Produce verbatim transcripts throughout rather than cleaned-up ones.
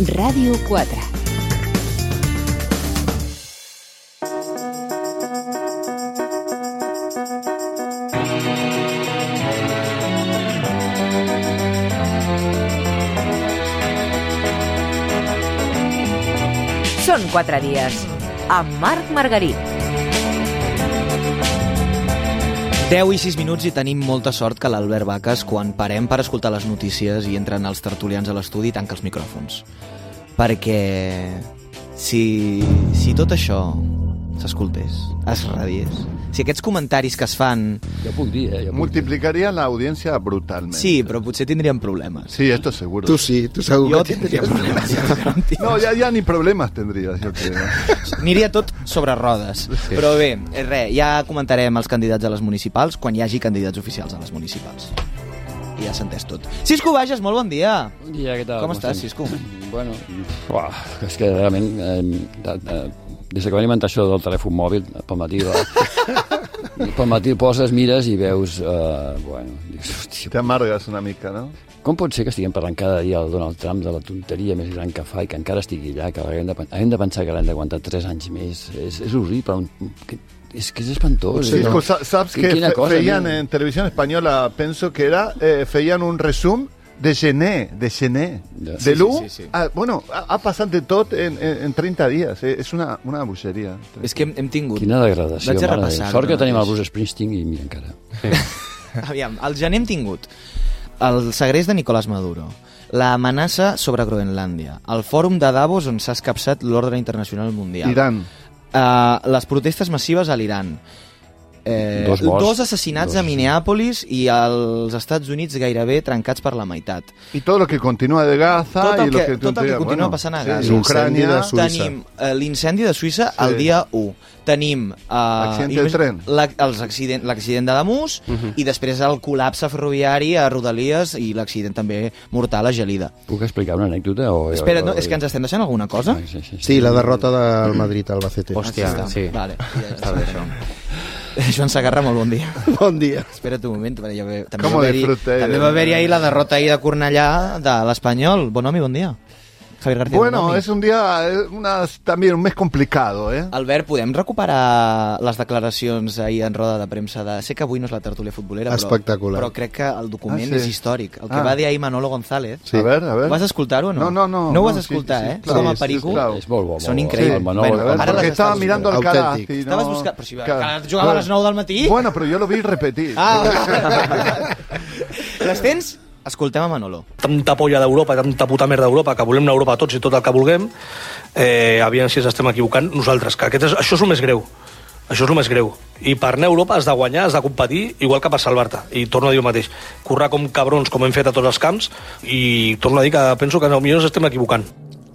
Ràdio quatre. Són quatre dies, amb Marc Margarit. deu i sis minuts i tenim molta sort que l'Albert Baques, quan parem per escoltar les notícies i entren els tertulians a l'estudi, tanca els micròfons. Perquè si, si tot això s'escoltés, es radiés, si aquests comentaris que es fan... Jo puc dir, eh? Jo puc multiplicaría dir. la audiencia brutalmente. Sí, però potser tindríem problemes. Sí, esto seguro. Tu sí, tu segur Jo que tindria problemes. No, ya, ya ni problemas tendrías, yo creo. Aniria tot sobre rodes. Sí. Però bé, res, ja comentarem els candidats a les municipals quan hi hagi candidats oficials a les municipals. I ja s'ha entès tot. Cisco Bages, molt bon dia. Bon dia, què tal? Com, Com estàs, Cisco? Bueno, uah, és que realment, eh, eh, des que va alimentar això del telèfon mòbil, pel matí, eh, pel matí poses, mires i veus, eh, bueno, dius, hòstia... Te amargues una mica, no? Com pot ser que estiguem parlant cada dia del Donald Trump, de la tonteria més gran que fa i que encara estigui allà, que haguem de, haguem de pensar que l'hem d'aguantar tres anys més? És, és horrible, un, que, és que és espantós. Sí, no? saps que fe, cosa, feien en televisió espanyola, penso que era, eh, feien un resum de gener, de gener, ja. de l'u, sí, sí, sí. ah, bueno, ha, ha passat de tot en, en, en trenta dies, eh? És una, una bogeria. És que hem, hem tingut... Quina degradació, mare. Sort que tenim el Bruce Springsteen i mira encara. Sí. Aviam, al gener hem tingut el segrest de Nicolás Maduro, l'amenaça sobre Groenlàndia, el fòrum de Davos on s'ha escapçat l'ordre internacional mundial, Iran, uh, les protestes massives a l'Iran, Eh, dos, dos assassinats dos. a Minneapolis i als Estats Units gairebé trencats per la meitat. I tot el que continua de Gaza tot el i que, el que, tot el que continua bueno, passant a sí, Gaza. Ucrània, de Suïssa. Tenim eh, l'incendi de Suïssa sí. el dia u. Tenim eh, l'accident del tren, la, els accident, l'accident de Damus uh -huh. i després el col·lapse ferroviari a Rodalies i l'accident també mortal a Gelida. Puc explicar una anècdota? O... Espera, no, és que ens estem deixant alguna cosa? Ah, sí, sí, sí. Sí, la derrota del Madrid al Albacete. Hòstia, sí. Vale, ja està bé això. Joan Sagarra, molt bon dia. Bon dia. Espera't un moment, ja ve, també, Com va haver-hi, també va haver-hi ahir la derrota ahir de Cornellà de l'Espanyol. Bon home, bon dia. Javier García. Bueno, Bonomi. es un día, una, también un mes complicado, ¿eh? Albert, podem recuperar les declaracions ahir en roda de premsa de... Sé que avui no és la tertúlia futbolera, però, espectacular. però crec que el document ah, sí. és històric. El que ah. va dir ahir Manolo González. Sí. A ver, a ver. Vas escoltar-ho o no? No, no, no. No ho vas no, escoltar, sí, sí, eh? sí, claro, Com a sí, perico. sí, claro. És molt bo. Són increïbles. Sí, Manolo, bueno, ara porque estaba mirando al Calaf. No... Estaves buscant... Però si va, Claro. jugava a les nou del matí? Bueno, pero yo lo vi repetir. Ah, les tens? Escoltem a Manolo. Tanta polla d'Europa, tanta puta merda d'Europa, que volem una Europa tots i tot el que vulguem, eh, aviam si ens estem equivocant nosaltres, que aquest és, això és el més greu. Això és el més greu. I per anar a Europa has de guanyar, has de competir, igual que per salvar-te. I torno a dir el mateix. Currar com cabrons, com hem fet a tots els camps, i torno a dir que penso que potser ens estem equivocant.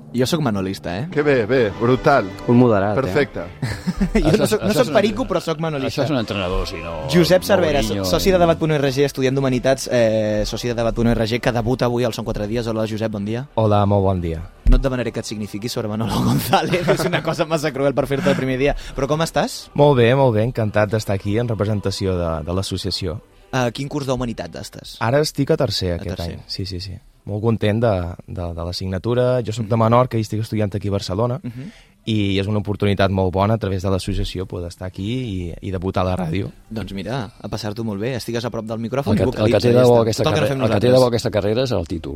Jo sóc manolista, eh? Que bé, bé, brutal. Un moderat, Perfecte. eh? jo no soc, no soc perico, però soc manolista. Això és un entrenador, si no... Josep Cervera, Mourinho, soci de debat punt org, estudiant d'Humanitats, eh, soci de debat punt org, que debuta avui al Són quatre dies. Hola, Josep, bon dia. Hola, molt bon dia. No et demanaré que et signifiqui sobre Manolo González, és una cosa massa cruel per fer-te el primer dia. Però com estàs? Molt bé, molt bé, encantat d'estar aquí en representació de, de l'associació. A quin curs d'Humanitats estàs? Ara estic a tercer aquest tercer. any, sí, sí, sí. Molt content de, de, de l'assignatura. Jo soc de Menorca i estic estudiant aquí a Barcelona, uh -huh. i és una oportunitat molt bona a través de l'associació poder estar aquí i, i debutar a la ràdio. Doncs mira, a passar-t'ho molt bé, estigues a prop del micròfon El i que, el que vocalitza. té de bo ja aquesta, Tot el que no carrera, fem el que té de nosaltres. bo aquesta carrera és el títol.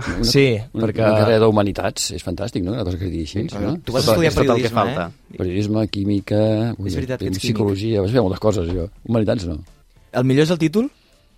Una, Sí, una, perquè... una carrera d'humanitats és fantàstic, no? Una cosa que es digui així, Sí, no? Tu vas tot, estudiar tot el que periodisme, falta. eh? Periodisme, química, És veritat que ets psicologia, vas fer moltes coses, jo. Humanitats no. El millor és el títol?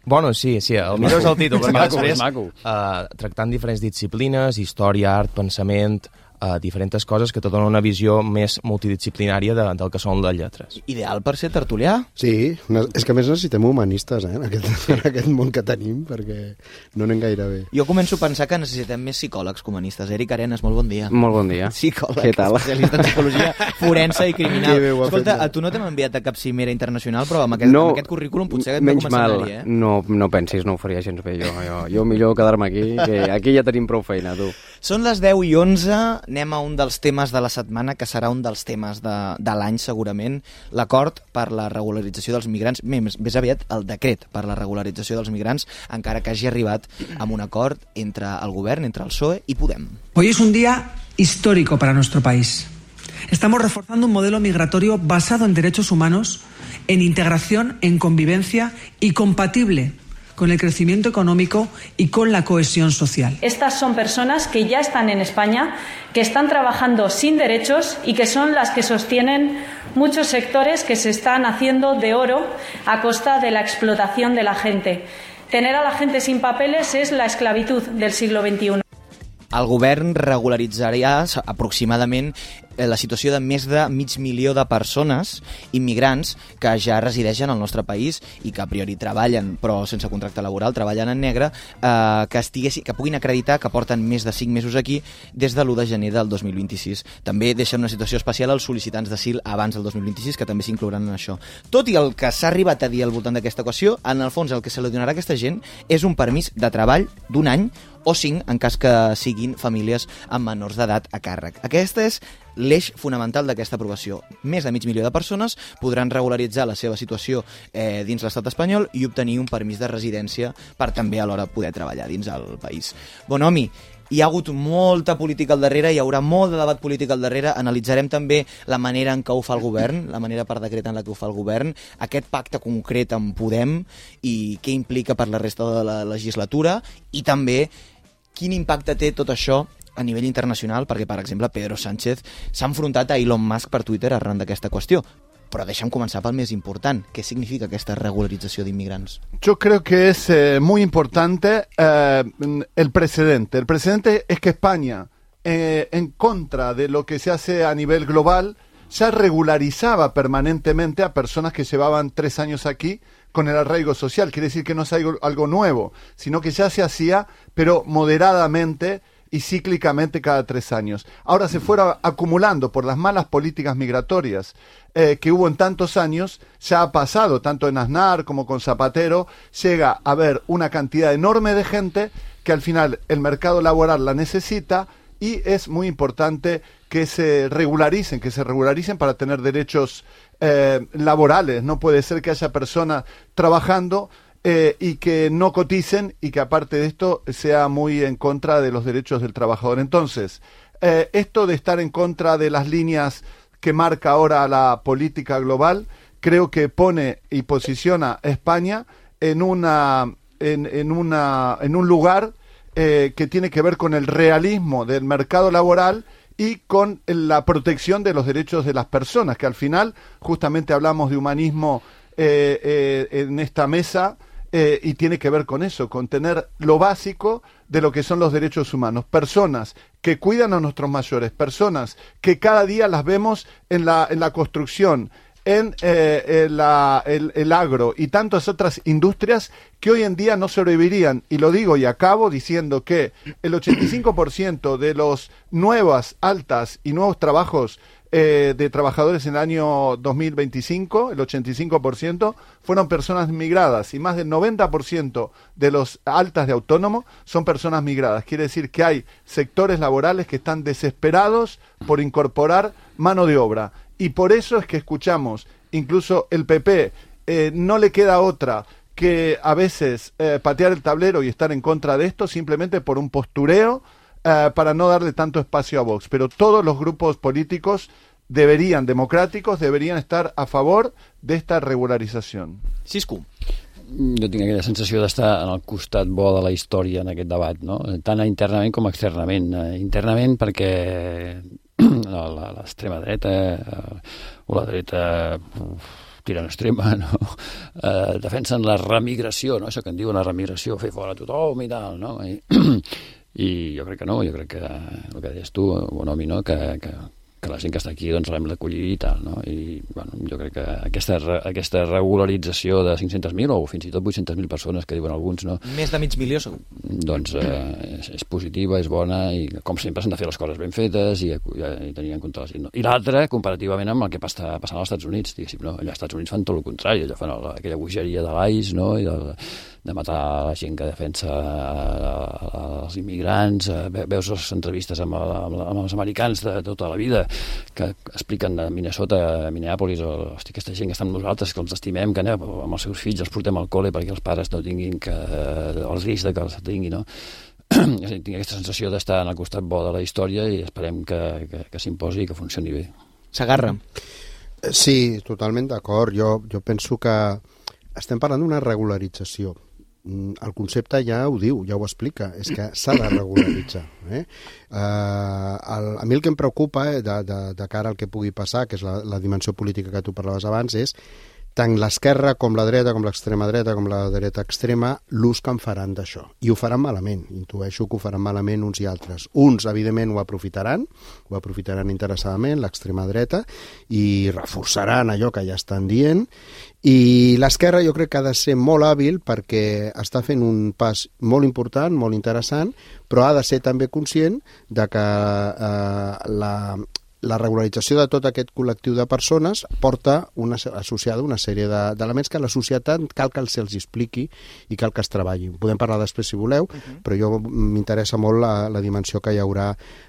Bueno, sí, sí, el millor és el títol, És perquè maco, després, és maco. uh, tractant diferents disciplines, història, art, pensament, uh, diferents coses que te donen una visió més multidisciplinària de, del que són les lletres. Ideal per ser tertulià? Sí, no, és que a més necessitem humanistes, eh, en aquest, en aquest món que tenim, perquè no anem gaire bé. Jo començo a pensar que necessitem més psicòlegs comunistes. Eric Arenas, molt bon dia. Molt bon dia. Psicòleg, Què tal? especialista en psicologia forense i criminal. Que bé ho ha Escolta, fet, a tu no t'hem enviat a cap cimera internacional, però amb aquest, No, amb aquest currículum potser et menys veig mal, com a escenari, eh? no, no pensis, no ho faria gens bé jo. Jo, jo millor quedar-me aquí, que aquí ja tenim prou feina, tu. Són les deu i onze, anem a un dels temes de la setmana, que serà un dels temes de, de l'any segurament, l'acord per la regularització dels migrants, més, més aviat el decret per la regularització dels migrants, encara que hagi arribat amb un acord entre el govern, entre el P S O E i Podem. Hoy es un día histórico para nuestro país. Estamos reforzando un modelo migratorio basado en derechos humanos, en integración, en convivencia y compatible con el crecimiento económico y con la cohesión social. Estas son personas que ya están en España, que están trabajando sin derechos y que son las que sostienen muchos sectores que se están haciendo de oro a costa de la explotación de la gente. Tener a la gente sin papeles es la esclavitud del siglo veintiuno. El govern regularitzarà aproximadament la situació de més de mig milió de persones immigrants que ja resideixen al nostre país i que a priori treballen, però sense contracte laboral, treballen en negre, eh, que, estiguessi, que puguin acreditar que porten més de cinc mesos aquí des de l'u de gener del dos mil vint-i-sis. També deixen una situació especial als sol·licitants d'asil abans del dos mil vint-i-sis, que també s'inclouran en això. Tot i el que s'ha arribat a dir al voltant d'aquesta equació, en el fons el que se li donarà a aquesta gent és un permís de treball d'un any o cinc en cas que siguin famílies amb menors d'edat a càrrec. Aquesta és l'eix fonamental d'aquesta aprovació. Més de mig milió de persones podran regularitzar la seva situació eh, dins l'estat espanyol i obtenir un permís de residència per també alhora poder treballar dins el país. Bonomi, hi ha hagut molta política al darrere, hi haurà molt de debat polític al darrere, analitzarem també la manera en què ho fa el govern, la manera per decret en la que ho fa el govern, aquest pacte concret amb Podem i què implica per la resta de la legislatura i també quin impacte té tot això a nivell internacional, perquè, per exemple, Pedro Sánchez s'ha enfrontat a Elon Musk per Twitter arran d'aquesta qüestió. Però deixa'm començar pel més important. ¿Qué significa esta regularización de inmigrantes? Yo creo que es eh, muy importante eh, el precedente. El precedente es que España, eh, en contra de lo que se hace a nivel global, ya regularizaba permanentemente a personas que llevaban tres años aquí con el arraigo social. Quiere decir que no es algo, algo nuevo, sino que ya se hacía, pero moderadamente y cíclicamente cada tres años. Ahora se fuera acumulando por las malas políticas migratorias eh, que hubo en tantos años, ya ha pasado, tanto en Aznar como con Zapatero, llega a haber una cantidad enorme de gente que al final el mercado laboral la necesita y es muy importante que se regularicen, que se regularicen para tener derechos eh, laborales. No puede ser que haya personas trabajando Eh, y que no coticen y que aparte de esto sea muy en contra de los derechos del trabajador. Entonces, eh, esto de estar en contra de las líneas que marca ahora la política global, creo que pone y posiciona a España en una en, en una en un lugar eh, que tiene que ver con el realismo del mercado laboral y con la protección de los derechos de las personas, que al final justamente hablamos de humanismo eh, eh, en esta mesa. Eh, y tiene que ver con eso, con tener lo básico de lo que son los derechos humanos. Personas que cuidan a nuestros mayores, personas que cada día las vemos en la, en la construcción, en eh, en la, el, el agro y tantas otras industrias que hoy en día no sobrevivirían. Y lo digo y acabo diciendo que el ochenta y cinco por ciento de los nuevas, altas y nuevos trabajos Eh, de trabajadores en el año dos mil veinticinco, el ochenta y cinco por ciento fueron personas migradas y más del noventa por ciento de los altas de autónomo son personas migradas. Quiere decir que hay sectores laborales que están desesperados por incorporar mano de obra y por eso es que escuchamos, incluso el P P eh, no le queda otra que a veces eh, patear el tablero y estar en contra de esto simplemente por un postureo Uh, para no darle tanto espacio a Vox, pero todos los grupos políticos deberían, democràticos, deberien estar a favor d'esta regularització. Cisco. Jo tinc aquella sensació d'estar en el costat bo de la història en aquest debat, no? Tant internament com externament. Internament perquè l'extrema dreta o la dreta tirant extrema, no? Eh, defensen la remigració, no? Això que en diuen la remigració, fer fora tothom i tal, no? I, i jo crec que no, jo crec que el que deies tu, Bonomi, no? que, que, que que la gent que està aquí doncs l'hem d'acollir i tal, no? I bueno, jo crec que aquesta, aquesta regularització de cinc-cents mil o fins i tot vuit-cents mil persones que diuen alguns, no? Més de mig milió, segur. Doncs eh, és, és positiva, és bona i com sempre s'han de fer les coses ben fetes i, i, i tenir en compte la gent. No? I l'altra, comparativament amb el que està passant als Estats Units, diguéssim, no? Allà als Estats Units fan tot el contrari, allà fan la, aquella bogeria de l'I C E, no? I de, de matar la gent que defensa els immigrants, veus les entrevistes amb, amb, amb els americans de tota la vida que expliquen de Minnesota, Minneapolis, o hosti, aquesta gent que està amb nosaltres, que els estimem, que anem amb els seus fills, els portem al col·le perquè els pares no tinguin que, el risc de que els tinguin, no? Tinc aquesta sensació d'estar en el costat bo de la història i esperem que, que, que s'imposi i que funcioni bé. S'agarra. Sí, totalment d'acord. Jo, jo penso que estem parlant d'una regularització. El concepte ja ho diu, ja ho explica, és que s'ha de regularitzar. Eh? Uh, el, a mi el que em preocupa eh, de, de, de cara al que pugui passar, que és la, la dimensió política que tu parlaves abans, és tant l'esquerra com la dreta, com l'extrema dreta, com la dreta extrema, l'ús que en faran d'això. I ho faran malament, intueixo que ho faran malament uns i altres. Uns, evidentment, ho aprofitaran, ho aprofitaran interessadament, l'extrema dreta, i reforçaran allò que ja estan dient, i l'esquerra jo crec que ha de ser molt hàbil perquè està fent un pas molt important, molt interessant, però ha de ser també conscient de que eh, la... la regularització de tot aquest col·lectiu de persones porta una, associada una sèrie d'elements que la societat cal que se'ls expliqui i cal que es treballi. Podem parlar després si voleu, uh-huh. però jo m'interessa molt la, la dimensió que hi haurà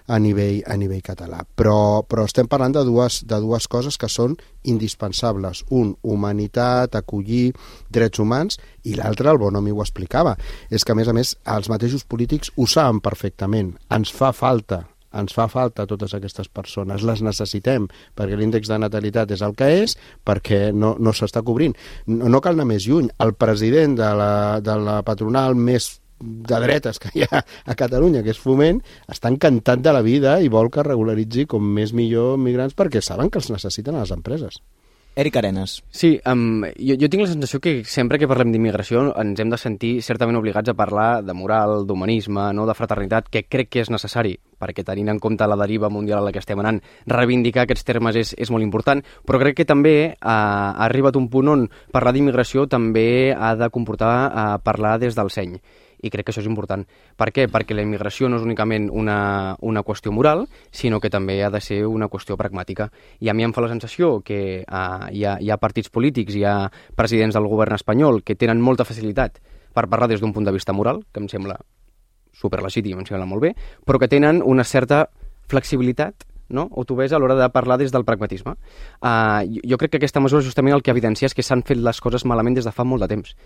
a nivell, a nivell català. Però, però estem parlant de dues, de dues coses que són indispensables. Un, humanitat, acollir drets humans, i l'altre, el Bonomi ho explicava, és que a més a més els mateixos polítics ho saben perfectament. Ens fa falta ens fa falta totes aquestes persones, les necessitem, perquè l'índex de natalitat és el que és, perquè no, no s'està cobrint. No, no cal anar més lluny. El president de la, de la patronal més de dretes que hi ha a Catalunya, que és Foment, està encantat de la vida i vol que regularitzi com més millor migrants perquè saben que els necessiten a les empreses. Eric Arenas. Sí, um, jo, jo tinc la sensació que sempre que parlem d'immigració ens hem de sentir certament obligats a parlar de moral, d'humanisme, no, de fraternitat, que crec que és necessari, perquè tenint en compte la deriva mundial a la que estem anant, reivindicar aquests termes és, és molt important, però crec que també uh, ha arribat un punt on parlar d'immigració també ha de comportar uh, parlar des del seny. I crec que això és important. Per què? Perquè la immigració no és únicament una, una qüestió moral, sinó que també ha de ser una qüestió pragmàtica. I a mi em fa la sensació que uh, hi, ha, hi ha partits polítics, hi ha presidents del govern espanyol que tenen molta facilitat per parlar des d'un punt de vista moral, que em sembla superlegítim, em sembla molt bé, però que tenen una certa flexibilitat, no? O tu ves a l'hora de parlar des del pragmatisme. Uh, jo, jo crec que aquesta mesura justament el que evidencia és que s'han fet les coses malament des de fa molt de temps,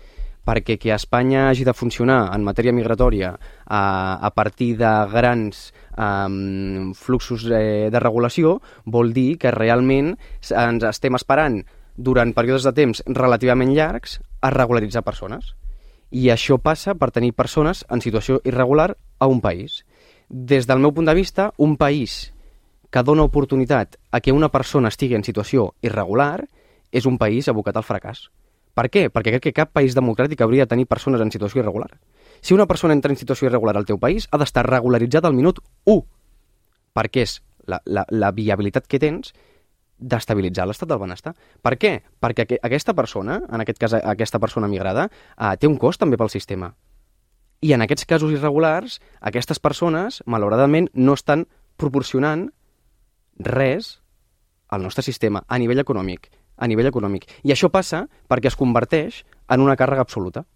perquè que Espanya hagi de funcionar en matèria migratòria a, a partir de grans um, fluxos eh, de regulació vol dir que realment ens estem esperant durant períodes de temps relativament llargs a regularitzar persones. I això passa per tenir persones en situació irregular a un país. Des del meu punt de vista, un país que dona oportunitat a que una persona estigui en situació irregular és un país abocat al fracàs. Per què? Perquè crec que cap país democràtic hauria de tenir persones en situació irregular. Si una persona entra en situació irregular al teu país, ha d'estar regularitzada al minut u, perquè és la, la, la viabilitat que tens d'estabilitzar l'estat del benestar. Per què? Perquè aqu aquesta persona, en aquest cas aquesta persona migrada, eh, té un cost també pel sistema. I en aquests casos irregulars, aquestes persones, malauradament, no estan proporcionant res al nostre sistema a nivell econòmic. a nivell econòmic. I això passa perquè es converteix en una càrrega absoluta.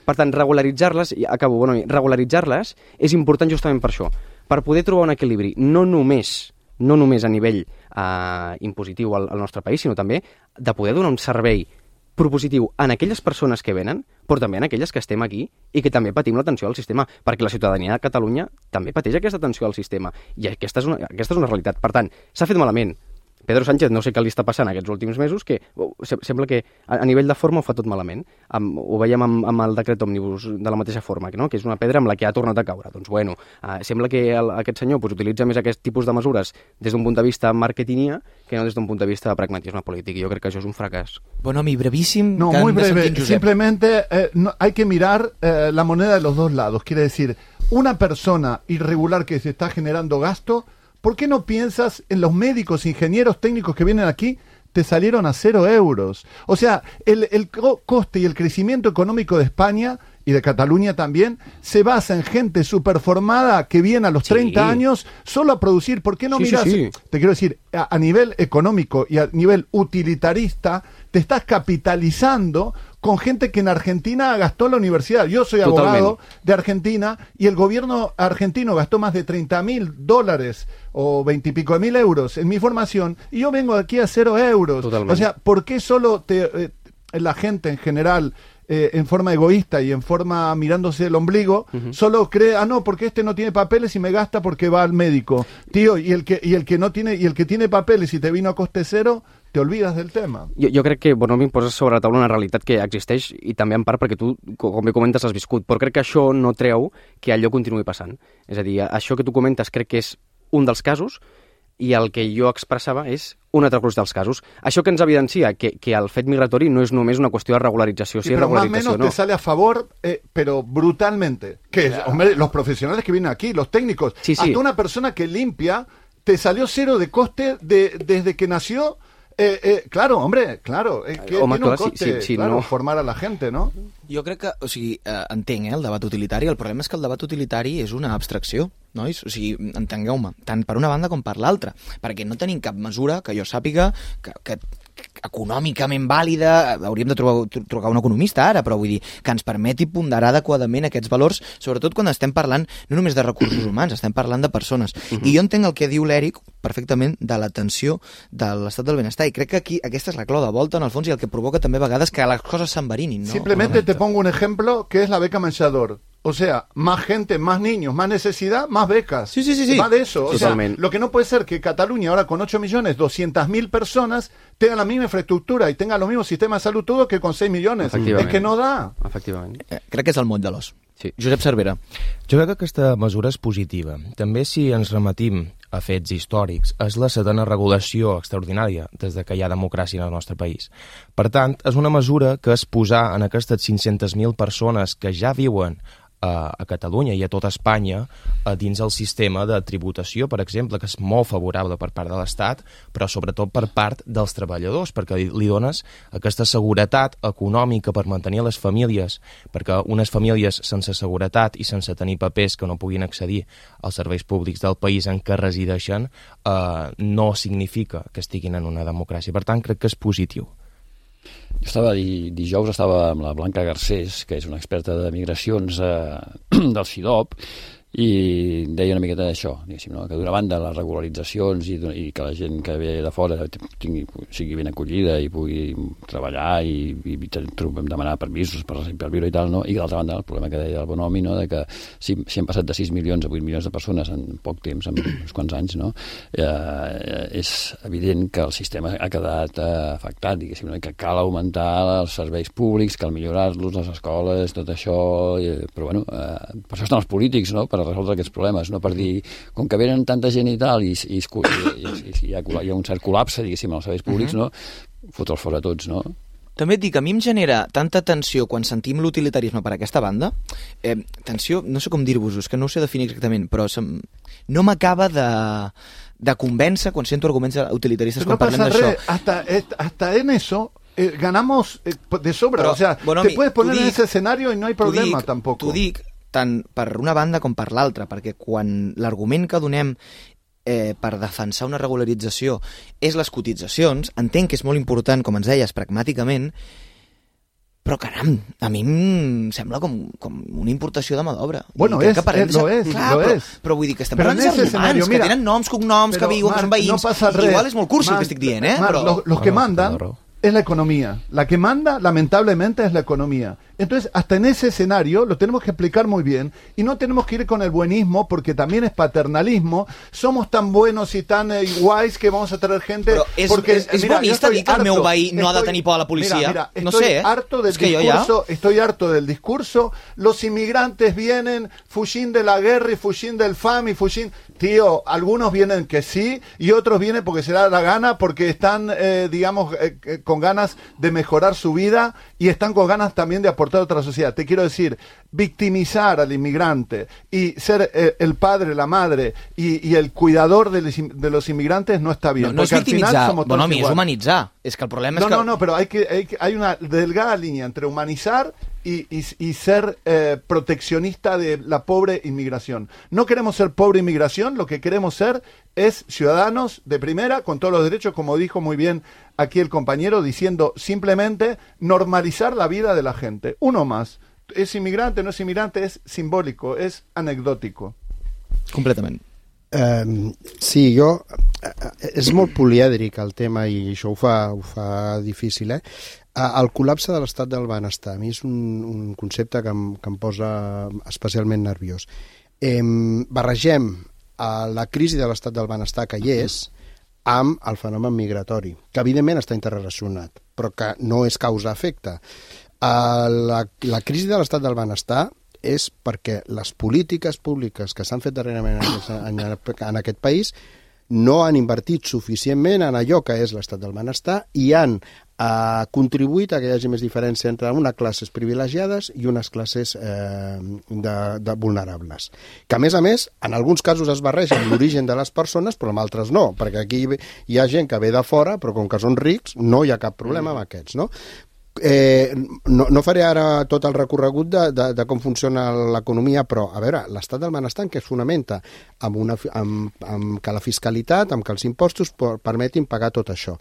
Per tant, regularitzar-les, i acabo, bueno, regularitzar-les és important justament per això, per poder trobar un equilibri, no només, no només a nivell eh, impositiu al, al nostre país, sinó també de poder donar un servei propositiu en aquelles persones que venen, però també en aquelles que estem aquí i que també patim la tensió al sistema, perquè la ciutadania de Catalunya també pateix aquesta tensió al sistema. I aquesta és una, aquesta és una realitat. Per tant, s'ha fet malament. Pedro Sánchez no sé què li està passant aquests últims mesos, que sembla que a nivell de forma ho fa tot malament. Amb, ho veiem amb, amb el decret òmnibus de la mateixa forma, no? Que és una pedra amb la que ha tornat a caure. Doncs bueno, eh, sembla que el, aquest senyor pues, utilitza més aquest tipus de mesures des d'un punt de vista marketingia que no des d'un punt de vista de pragmatisme polític. Jo crec que això és un fracàs. Bonomi, brevíssim. No, muy breve. Simplemente eh, no, hay que mirar eh, la moneda de los dos lados. Quiere decir, una persona irregular que se está generando gasto ¿por qué no piensas en los médicos, ingenieros, técnicos que vienen aquí? Te salieron a cero euros. O sea, el, el co- coste y el crecimiento económico de España y de Cataluña también se basa en gente superformada que viene a los treinta Sí. años solo a producir. ¿Por qué no Sí, miras? sí, sí. Te quiero decir, a, a nivel económico y a nivel utilitarista, te estás capitalizando con gente que en Argentina gastó la universidad. Yo soy Totalmente. abogado de Argentina y el gobierno argentino gastó más de treinta mil dólares o veintipico de mil euros en mi formación y yo vengo aquí a cero euros. Totalmente. O sea, ¿por qué solo te, eh, la gente en general, eh, en forma egoísta y en forma mirándose el ombligo, uh-huh. solo cree, ah no, porque este no tiene papeles y me gasta porque va al médico? Tío, y el que y el que no tiene y el que tiene papeles y te vino a coste cero, te olvides del tema. Jo, jo crec que Bonomi posa sobre la taula una realitat que existeix i també en part perquè tu, com bé comentes, has viscut, però crec que això no treu que allò continuï passant. És a dir, això que tu comentes crec que és un dels casos i el que jo expressava és un altre gruix dels casos. Això que ens evidencia que, que el fet migratori no és només una qüestió de regularització, sí, sí, és pero más o regularització, menos no. te sale a favor, eh, pero brutalmente. Que, claro. Hombre, los profesionales que vienen aquí, los técnicos, sí, sí. hasta una persona que limpia, te salió cero de coste de, desde que nació. Eh, eh, claro, hombre, claro, es que Home, tiene un clar, coste, si, si, si claro, no... formar a la gente, ¿no? Jo crec que, o sigui, eh, entenc, eh, el debat utilitari, el problema és que el debat utilitari és una abstracció, nois? O sigui, entengueu-me, tant per una banda com per l'altra, perquè no tenim cap mesura que jo sàpiga que, que econòmicament vàlida, hauríem de trobar, trucar un economista ara, però vull dir, que ens permeti ponderar adequadament aquests valors, sobretot quan estem parlant no només de recursos humans, estem parlant de persones. Uh-huh. I jo entenc el que diu l'Eric perfectament de l'atenció de l'estat del benestar, i crec que aquí aquesta és la clau de volta, en el fons, i el que provoca també a vegades que les coses s'enverinin, no? Simplemente te pongo un ejemplo que es la beca menjador. O sea, más gente, más niños, más necesidad, más becas. Sí, sí, sí, sí. Va de eso. O Totalmente. sea, lo que no puede ser que Cataluña, ahora con ocho millones, doscientas mil personas, tenga la misma infraestructura y tenga los mismos sistemas de salud todo que con seis millones. Es que no da. Efectivament. Eh, crec que és el moll de l'os. Sí. Josep Cervera. Jo crec que aquesta mesura és positiva. També si ens rematim a fets històrics, és la setena regulació extraordinària des de que hi ha democràcia en el nostre país. Per tant, és una mesura que és posar en aquestes cinc-centes mil persones que ja viuen a, a Catalunya i a tota Espanya a dins el sistema de tributació, per exemple, que és molt favorable per part de l'Estat, però sobretot per part dels treballadors, perquè li, li dones aquesta seguretat econòmica per mantenir les famílies, perquè unes famílies sense seguretat i sense tenir papers que no puguin accedir als serveis públics del país en què resideixen eh, no significa que estiguin en una democràcia. Per tant, crec que és positiu. Jo estava, dijous estava amb la Blanca Garcés, que és una experta de migracions eh, del C I D O P, i deia una miqueta d'això, diguéssim, no? Que d'una banda les regularitzacions i, i que la gent que ve de fora tingui, sigui ben acollida i pugui treballar i, i, i demanar permisos per, per viure i tal, no? I d'altra banda el problema que deia el Bonomi, no? De que si, si hem passat de sis milions a vuit milions de persones en poc temps, en uns quants anys, no? Eh, és evident que el sistema ha quedat eh, afectat, diguéssim, no? I que cal augmentar els serveis públics, cal millorar-los, les escoles, tot això, eh, però bueno, eh, per això estan els polítics, no? Per resoldre aquests problemes, no per dir, com que venen tanta gent i tal, i, i, i, i, i hi, ha, hi ha un cert col·lapse, diguéssim, als serveis públics, uh-huh. no? Fotre'ls fora tots, no? També et dic que a mi em genera tanta tensió quan sentim l'utilitarisme per aquesta banda, eh, tensió, no sé com dir-vos-ho, és que no ho sé definir exactament, però sem... no m'acaba de, de convèncer quan sento arguments utilitaristes no quan parlem d'això. Hasta, hasta en eso eh, ganamos eh, de sobra, però, o sea, bueno, te puedes poner dic, en ese escenario y no hay problema dic, tampoco. T'ho dic tant per una banda com per l'altra, perquè quan l'argument que donem eh, per defensar una regularització és les cotitzacions, entenc que és molt important, com ens deies, pragmàticament, però caram, a mi em sembla com, com una importació de mà d'obra. Bueno, és, es, es, lo és, clar, lo però, és. Però vull dir que estem però parlant de romans, que tenen noms, cognoms, que viuen, que són veïns, no i igual és molt cursi el que estic dient, eh? Marc, però... los, los que mandan es la economía. La que manda, lamentablemente, es la economía. Entonces, hasta en ese escenario lo tenemos que explicar muy bien y no tenemos que ir con el buenismo porque también es paternalismo. Somos tan buenos y tan eh, guays que vamos a traer gente... Però és, porque, és, és mira, bonista dir que el meu veí no estoy, ha de tenir por a la policia. Mira, mira, no estoy sé, eh? harto del es que discurso, ja... estoy harto del discurso. Los inmigrantes vienen fugint de la guerra y fugint del fam y fugint... Tío, algunos vienen que sí y otros vienen porque se da la gana, porque están, eh, digamos, eh, con ganas de mejorar su vida y están con ganas también de aportar aportar a otra sociedad. Te quiero decir, victimizar al inmigrante y ser eh, el padre, la madre y, y el cuidador de los, de los inmigrantes no está bien. No, no es victimitzar, bueno, mi, és humanitzar. És que el problema no, és que... No, no, pero hay, que, hay, hay una delgada línea entre humanizar y, y, y ser eh, proteccionista de la pobre inmigración. No queremos ser pobre inmigración, lo que queremos ser es ciudadanos de primera, con todos los derechos, como dijo muy bien aquí el compañero, diciendo simplemente normalizar la vida de la gente. Uno más. Es inmigrante, no es inmigrante, es simbólico, es anecdòtico. Completament. Um, sí, jo... És molt polièdric el tema i això ho fa, ho fa difícil, eh? El col·lapse de l'estat del benestar, a mi és un, un concepte que em, que em posa especialment nerviós. Eh, barregem a la crisi de l'estat del benestar que hi és amb el fenomen migratori, que evidentment està interrelacionat, però que no és causa-efecte. Uh, la, la crisi de l'estat del benestar és perquè les polítiques públiques que s'han fet darrerament en aquest, en, en aquest país no han invertit suficientment en allò que és l'estat del benestar i han eh, contribuït a que hi hagi més diferència entre unes classes privilegiades i unes classes eh, de, de vulnerables. Que, a més a més, en alguns casos es barreja amb l'origen de les persones, però en altres no, perquè aquí hi ha gent que ve de fora, però com que són rics, no hi ha cap problema amb aquests, no? Eh, no, no faré ara tot el recorregut de, de, de com funciona l'economia, però, a veure, l'estat del benestar en què es fonamenta? Amb, una, amb, amb que la fiscalitat, amb que els impostos permetin pagar tot això.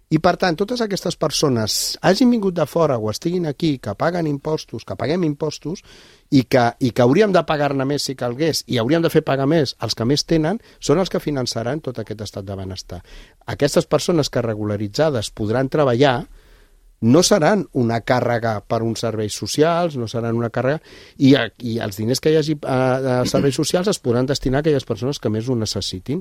I, per tant, totes aquestes persones hagin vingut de fora o estiguin aquí, que paguen impostos, que paguem impostos, i que, i que hauríem de pagar-ne més si calgués, i hauríem de fer pagar més els que més tenen, són els que finançaran tot aquest estat de benestar. Aquestes persones que regularitzades podran treballar no seran una càrrega per uns serveis socials, no seran una càrrega, i, i els diners que hi hagi a, a serveis socials es podran destinar a aquelles persones que més ho necessitin.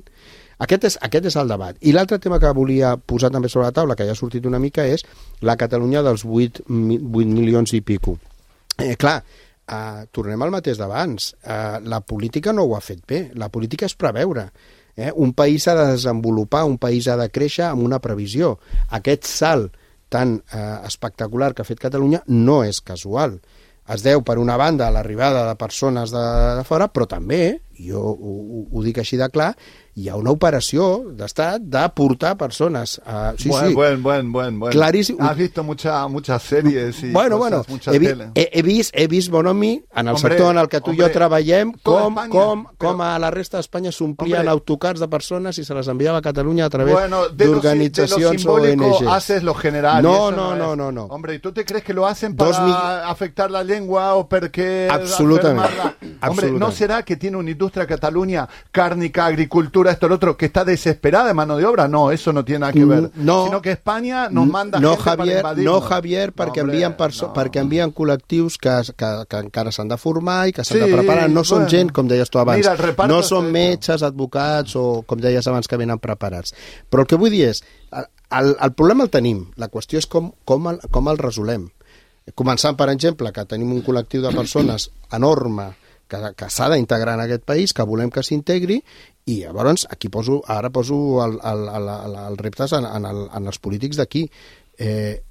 Aquest és, aquest és el debat. I l'altre tema que volia posar també sobre la taula, que ja ha sortit una mica, és la Catalunya dels vuit milions i pico. Eh, clar, eh, tornem al mateix d'abans. Eh, la política no ho ha fet bé. La política és preveure. Eh? Un país s'ha de desenvolupar, un país ha de créixer amb una previsió. Aquest salt tan eh, espectacular que ha fet Catalunya no és casual. Es deu, per una banda, a l'arribada de persones de, de fora, però també, jo ho, ho, ho dic així de clar, hi ha una operació d'estat de portar persones. Uh, sí, buen, sí. buen, buen, buen, buen. Claríssim. Has visto mucha, muchas series y bueno, cosas, bueno, mucha he, vi, tele. He, he, vist, he vist Bonomi en el hombre, sector en el que tu i jo treballem, com, Espanya, com, com però... a la resta d'Espanya s'omplien autocars de persones i se les enviava a Catalunya a través bueno, d'organitzacions O N G. Haces lo general. No, no, no, no, no. Hombre, ¿y tú te crees que lo hacen para mil... afectar la lengua o porque... Absolutamente. Hombre, ¿no será que tiene una industria Cataluña, cárnica, agricultura, esto, lo otro, que está desesperada de mano de obra? No, eso no tiene nada que ver. No, sino que España nos manda no, gente Javier, para invadirnos. No, Javier, perquè, no, hombre, envien no. perquè envien col·lectius que, que, que encara s'han de formar i que s'han sí, de preparar. No són bueno. gent, com deies tu abans. Mira, no són metges, advocats o, com deies abans, que venen preparats. Però el que vull dir és, el, el problema el tenim. La qüestió és com, com, el, com el resolem. Començant, per exemple, que tenim un col·lectiu de persones enorme que, que s'ha d'integrar en aquest país, que volem que s'integri, i llavors aquí poso, ara poso el, el, el, el, el reptes en, en, el, en els polítics d'aquí. Eh,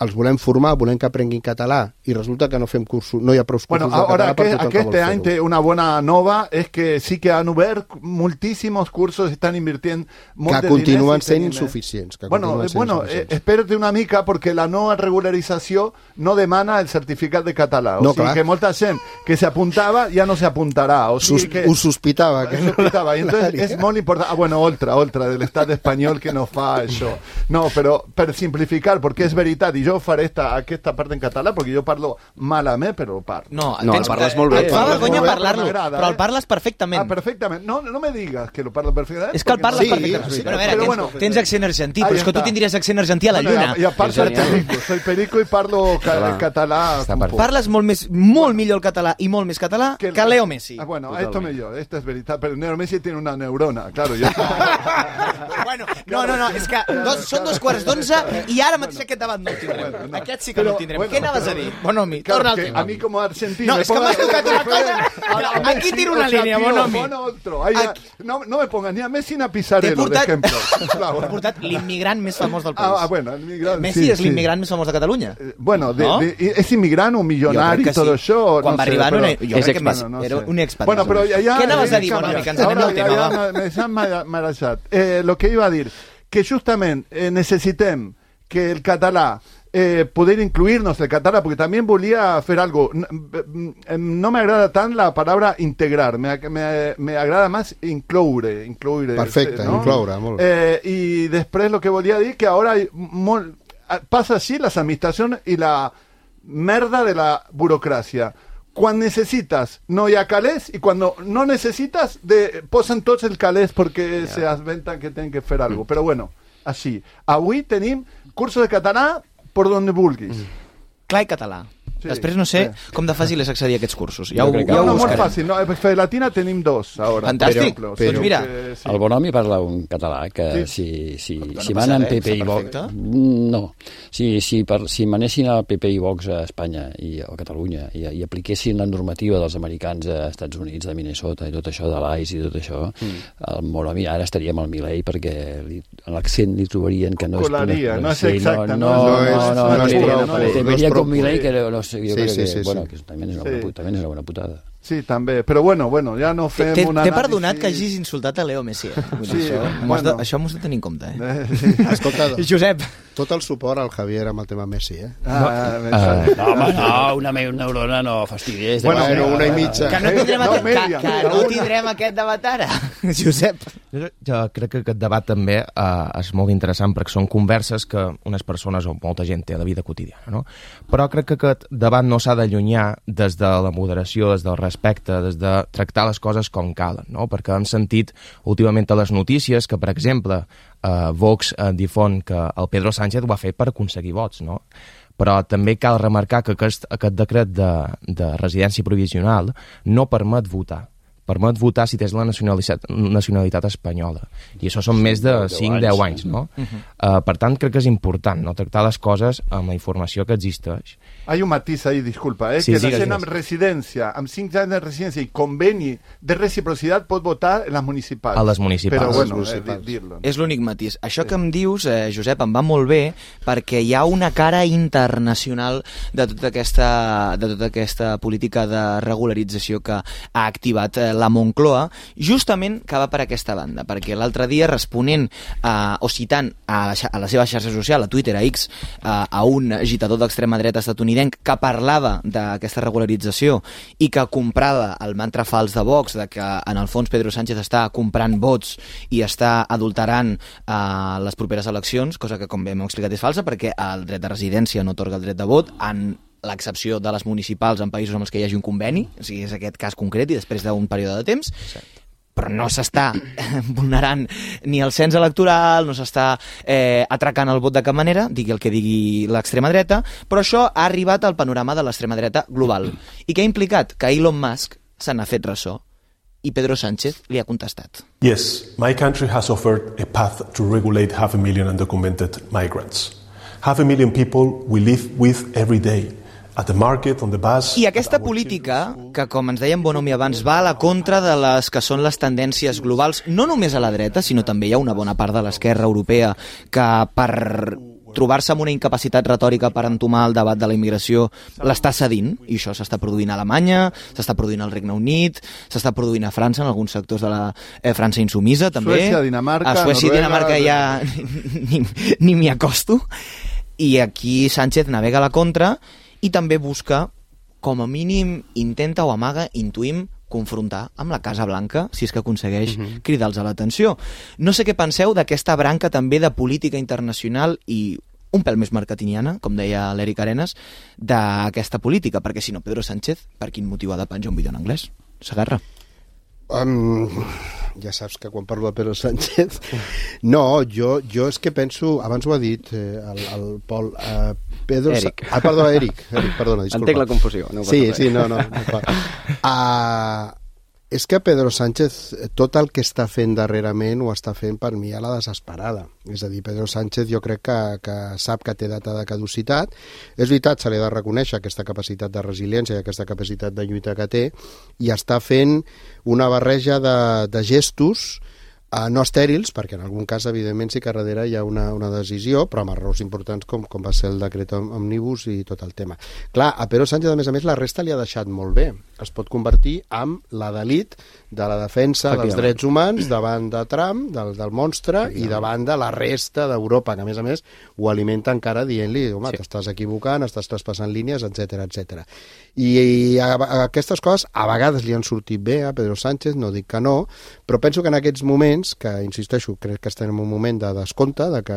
els volem formar, volem que aprenguin català i resulta que no fem cursos, no hi ha prou cursos bueno, de ahora català per tothom que este año una buena nova es que sí que han obert moltísimos cursos, están invirtiendo que continuen sent insuficients. Que bueno, sent bueno insuficients. Eh, espérate una mica perquè la nova regularització no demana el certificat de català. O no, sigui clar. Que molta gent que se apuntava ja no se apuntarà. O sigui Sus, que, ho sospitava. Que ho sospitava. I entonces és molt important. Ah, bueno, otra, otra del estat espanyol que no fa això. No, però per simplificar, perquè és veritat, i jo faré esta aquesta part en català, perquè jo parlo malament, però parlo. No, no tens, el parles molt bé. Et fa vergonya parlar-lo, però el parles perfectament. Ah, perfectament. No, no me digas que lo parlo perfectament. És que el parles no... perfectament. Sí, però a veure, però tens, bueno, tens accent argentí, però és que tu tindries accent argentí a la lluna. I a part soy perico, soy perico i parlo ca català. Parles molt més, molt millor el català i molt més català que, que Leo Messi. Ah, bueno, esto millor, esto es veritat, però Leo Messi tiene una neurona, claro. Yo... bueno, no, no, no, és que dos, són dos quarts d'onze i ara mateix aquest debat no el tindrem. tindrem. bueno, no. Aquest sí que Pero, no el tindrem. bueno, Què anaves pero- a dir? Bonomi, Claro, torna al que tema. a mí como argentino... No, me es que ponga- m'has tocat una cosa... a- a Aquí Messi, tiro o una sea, línia, tío, Bonomi. pon otro. Ahí, Aquí. no, no me pongas ni a Messi ni a Pizarello, T'he portat- de ejemplo. Claro. T'he portat l'immigrant més famós del país. Ah, bueno, el migrant, Messi sí, és sí. l'immigrant més famós de Catalunya. Bueno, de, ¿No? de, es inmigrante o millonario Jo crec y todo que sí. eso. Quan no va sé, arribar pero- era, jo És crec que expat. Messi Bueno, no era sé. un expat. Bueno, però ja... ja Què anaves a dir, canvia. Bonomi, que ens anem Ahora del ja- tema, ja va? me- me s'han mara- marejat. Eh, lo que iba a dir, que justament eh, necessitem que el català eh, poder incluirnos el català, porque también volia hacer algo. No, no me agrada tant la palabra integrar, me, me, me agrada más incloure. incloure Perfecte, ¿no? incloure, molt bé. Eh, y després lo que volia dir que ahora hay mol, pasa así las administraciones y la merda de la burocracia. Cuando necesitas no hi ha calés y cuando no necesitas de, posen tots el calés porque yeah. se asventan que tienen que fer algo. Pero bueno, així. Avui tenim cursos de català por donde vulguis. Mm. Clar i català. Sí, Després no sé sí. com de fàcil és accedir a aquests cursos. Ja Jo ho, crec que ja No, ho no, molt buscarem. fàcil. No, a Fedelatina tenim dos ahora. Fantàstic. Però, Però, doncs mira, que, sí. El Bonomi parla un català que Sí. si, si, no si passa manen res, P P i està Vox... perfecte. No. Si, si, per, si manessin el P P i Vox a Espanya i a Catalunya i, i apliquessin la normativa dels americans a Estats Units, de Minnesota i tot això, de l'A I C E i tot això, mm. el Bonomi ara estaria amb el Milei perquè li, en l'accent li trobarien que no és... Colaria, no és sí, exacte, No, no, no, és- no, no no, és no, puro, no, no, no, no te es veria pro- con Milei que no sé, jo Sí, crec sí, que, sí, bueno, sí. que también és una, Sí. buena, pu- también és una buena putada. Sí, també. Però bueno, bueno, ja no fem T'he un t'he anàlisi... perdonat que hagis insultat a Leo Messi. Eh? Vull dir, Sí, això, m'ho has bueno. de, això m'ho has de tenir en compte. Eh? Eh, sí. Escolta, Josep, tot el suport al Javier amb el tema Messi, eh? Ah, Uh, no, home, no, una, me- una neurona no fastidies. Bueno, Bueno, una i mitja. que no tindrem, No, aquest, media, que, que media, no una. tindrem aquest debat ara. Josep. Jo, jo crec que aquest debat també eh, és molt interessant perquè són converses que unes persones o molta gent té a la vida quotidiana, no? Però crec que aquest debat no s'ha d'allunyar des de la moderació, des del respecte, des de tractar les coses com calen, no? Perquè hem sentit últimament a les notícies que, per exemple, eh, Vox eh, difon que el Pedro Sánchez ho va fer per aconseguir vots, no? Però també cal remarcar que aquest, aquest decret de, de residència provisional no permet votar. Permet votar si tens la nacionalitat, nacionalitat espanyola. I això són més de cinc a deu anys, no? Uh -huh. uh, per tant, crec que és important no tractar les coses amb la informació que existeix. Hay un matiz ahí, disculpa, eh, Sí, que sí, la gent sí. amb residència, amb cinc anys de residència i conveni de reciprocitat pot votar en les municipals. A les municipals. Però bueno, Les eh, municipals. dir- dir-lo. És l'únic matís. Això que em dius, eh, Josep, em va molt bé perquè hi ha una cara internacional de tota aquesta, de tota aquesta política de regularització que ha activat eh, la Moncloa, justament que va per aquesta banda, perquè l'altre dia responent eh, o citant a la, xa- a la seva xarxa social, a Twitter, a X, eh, a un agitador d'extrema dreta estatunidenc que parlava d'aquesta regularització i que comprava el mantra fals de Vox, de que en el fons Pedro Sánchez està comprant vots i està adulterant eh, les properes eleccions, cosa que com bé m'heu explicat és falsa perquè el dret de residència no atorga el dret de vot, en l'excepció de les municipals en països amb els que hi hagi un conveni, o sigui, és aquest cas concret i després d'un període de temps, però no s'està vulnerant ni el cens electoral, no s'està eh, atracant el vot de cap manera, digui el que digui l'extrema dreta, però això ha arribat al panorama de l'extrema dreta global. I què ha implicat? Que Elon Musk se n'ha fet ressò i Pedro Sánchez li ha contestat. Yes, my country has offered a path to regulate half a million undocumented migrants. Half a million people we live with every day. At the market, on the bus, I aquesta política, que com ens deia en Bonomi abans, va a la contra de les que són les tendències globals, no només a la dreta, sinó també hi ha una bona part de l'esquerra europea que per trobar-se amb una incapacitat retòrica per entomar el debat de la immigració l'està cedint, i això s'està produint a Alemanya, s'està produint al Regne Unit, s'està produint a França, en alguns sectors de la eh, França insumisa, també. Suècia, Dinamarca, a Suècia i Noruega, Dinamarca ja ni, ni m'hi acosto. I aquí Sánchez navega a la contra i també busca, com a mínim, intenta o amaga, intuïm, confrontar amb la Casa Blanca, si és que aconsegueix uh-huh. cridar-los a l'atenció. No sé què penseu d'aquesta branca també de política internacional i un pèl més marketingiana, com deia l'Eric Arenas, d'aquesta política, perquè si no, Pedro Sánchez, per quin motiu ha de penjar un vídeo en anglès? Sagarra. Um, ja saps que quan parlo de Pedro Sánchez no, jo, jo és que penso abans ho ha dit eh, el, el Pol uh, Pedro Eric. Sa... ah, perdó, Eric, Eric perdona, disculpa. Entenc la confusió, no sí, sí, no, no, no uh, és que Pedro Sánchez, tot el que està fent darrerament ho està fent per mi a la desesperada. És a dir, Pedro Sánchez jo crec que, que sap que té data de caducitat. És veritat, se li ha de reconèixer aquesta capacitat de resiliència i aquesta capacitat de lluita que té, i està fent una barreja de, de gestos Uh, no estèrils, perquè en algun cas evidentment sí que darrere hi ha una, una decisió, però amb errors importants com, com va ser el decret òmnibus i tot el tema. Clar, a Pedro Sánchez a més a més la resta li ha deixat molt bé, es pot convertir en la d'elit de la defensa dels drets humans davant de Trump, del, del monstre, i davant de la resta d'Europa, que a més a més ho alimenta encara dient-li, home, sí, t'estàs equivocant, estàs traspassant línies, etcètera, etcètera. I, i a, a aquestes coses a vegades li han sortit bé a Pedro Sánchez, no dic que no, però penso que en aquests moments, que insisteixo, crec que estem en un moment de descompte, de que,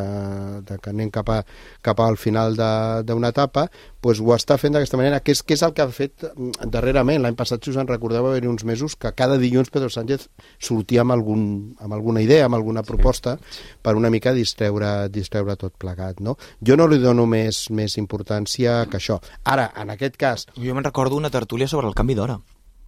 de que anem cap, a, cap al final d'una etapa, doncs ho està fent d'aquesta manera, que és, que és el que ha fet darrerament. L'any passat, si us en recordeu, va haver uns mesos que cada dilluns Pedro Sánchez sortia amb, algun, amb alguna idea, amb alguna proposta, sí, per una mica distreure, distreure tot plegat, no? Jo no li dono més, més importància que això. Ara, en aquest cas... Jo me'n recordo una tertúlia sobre el canvi d'hora.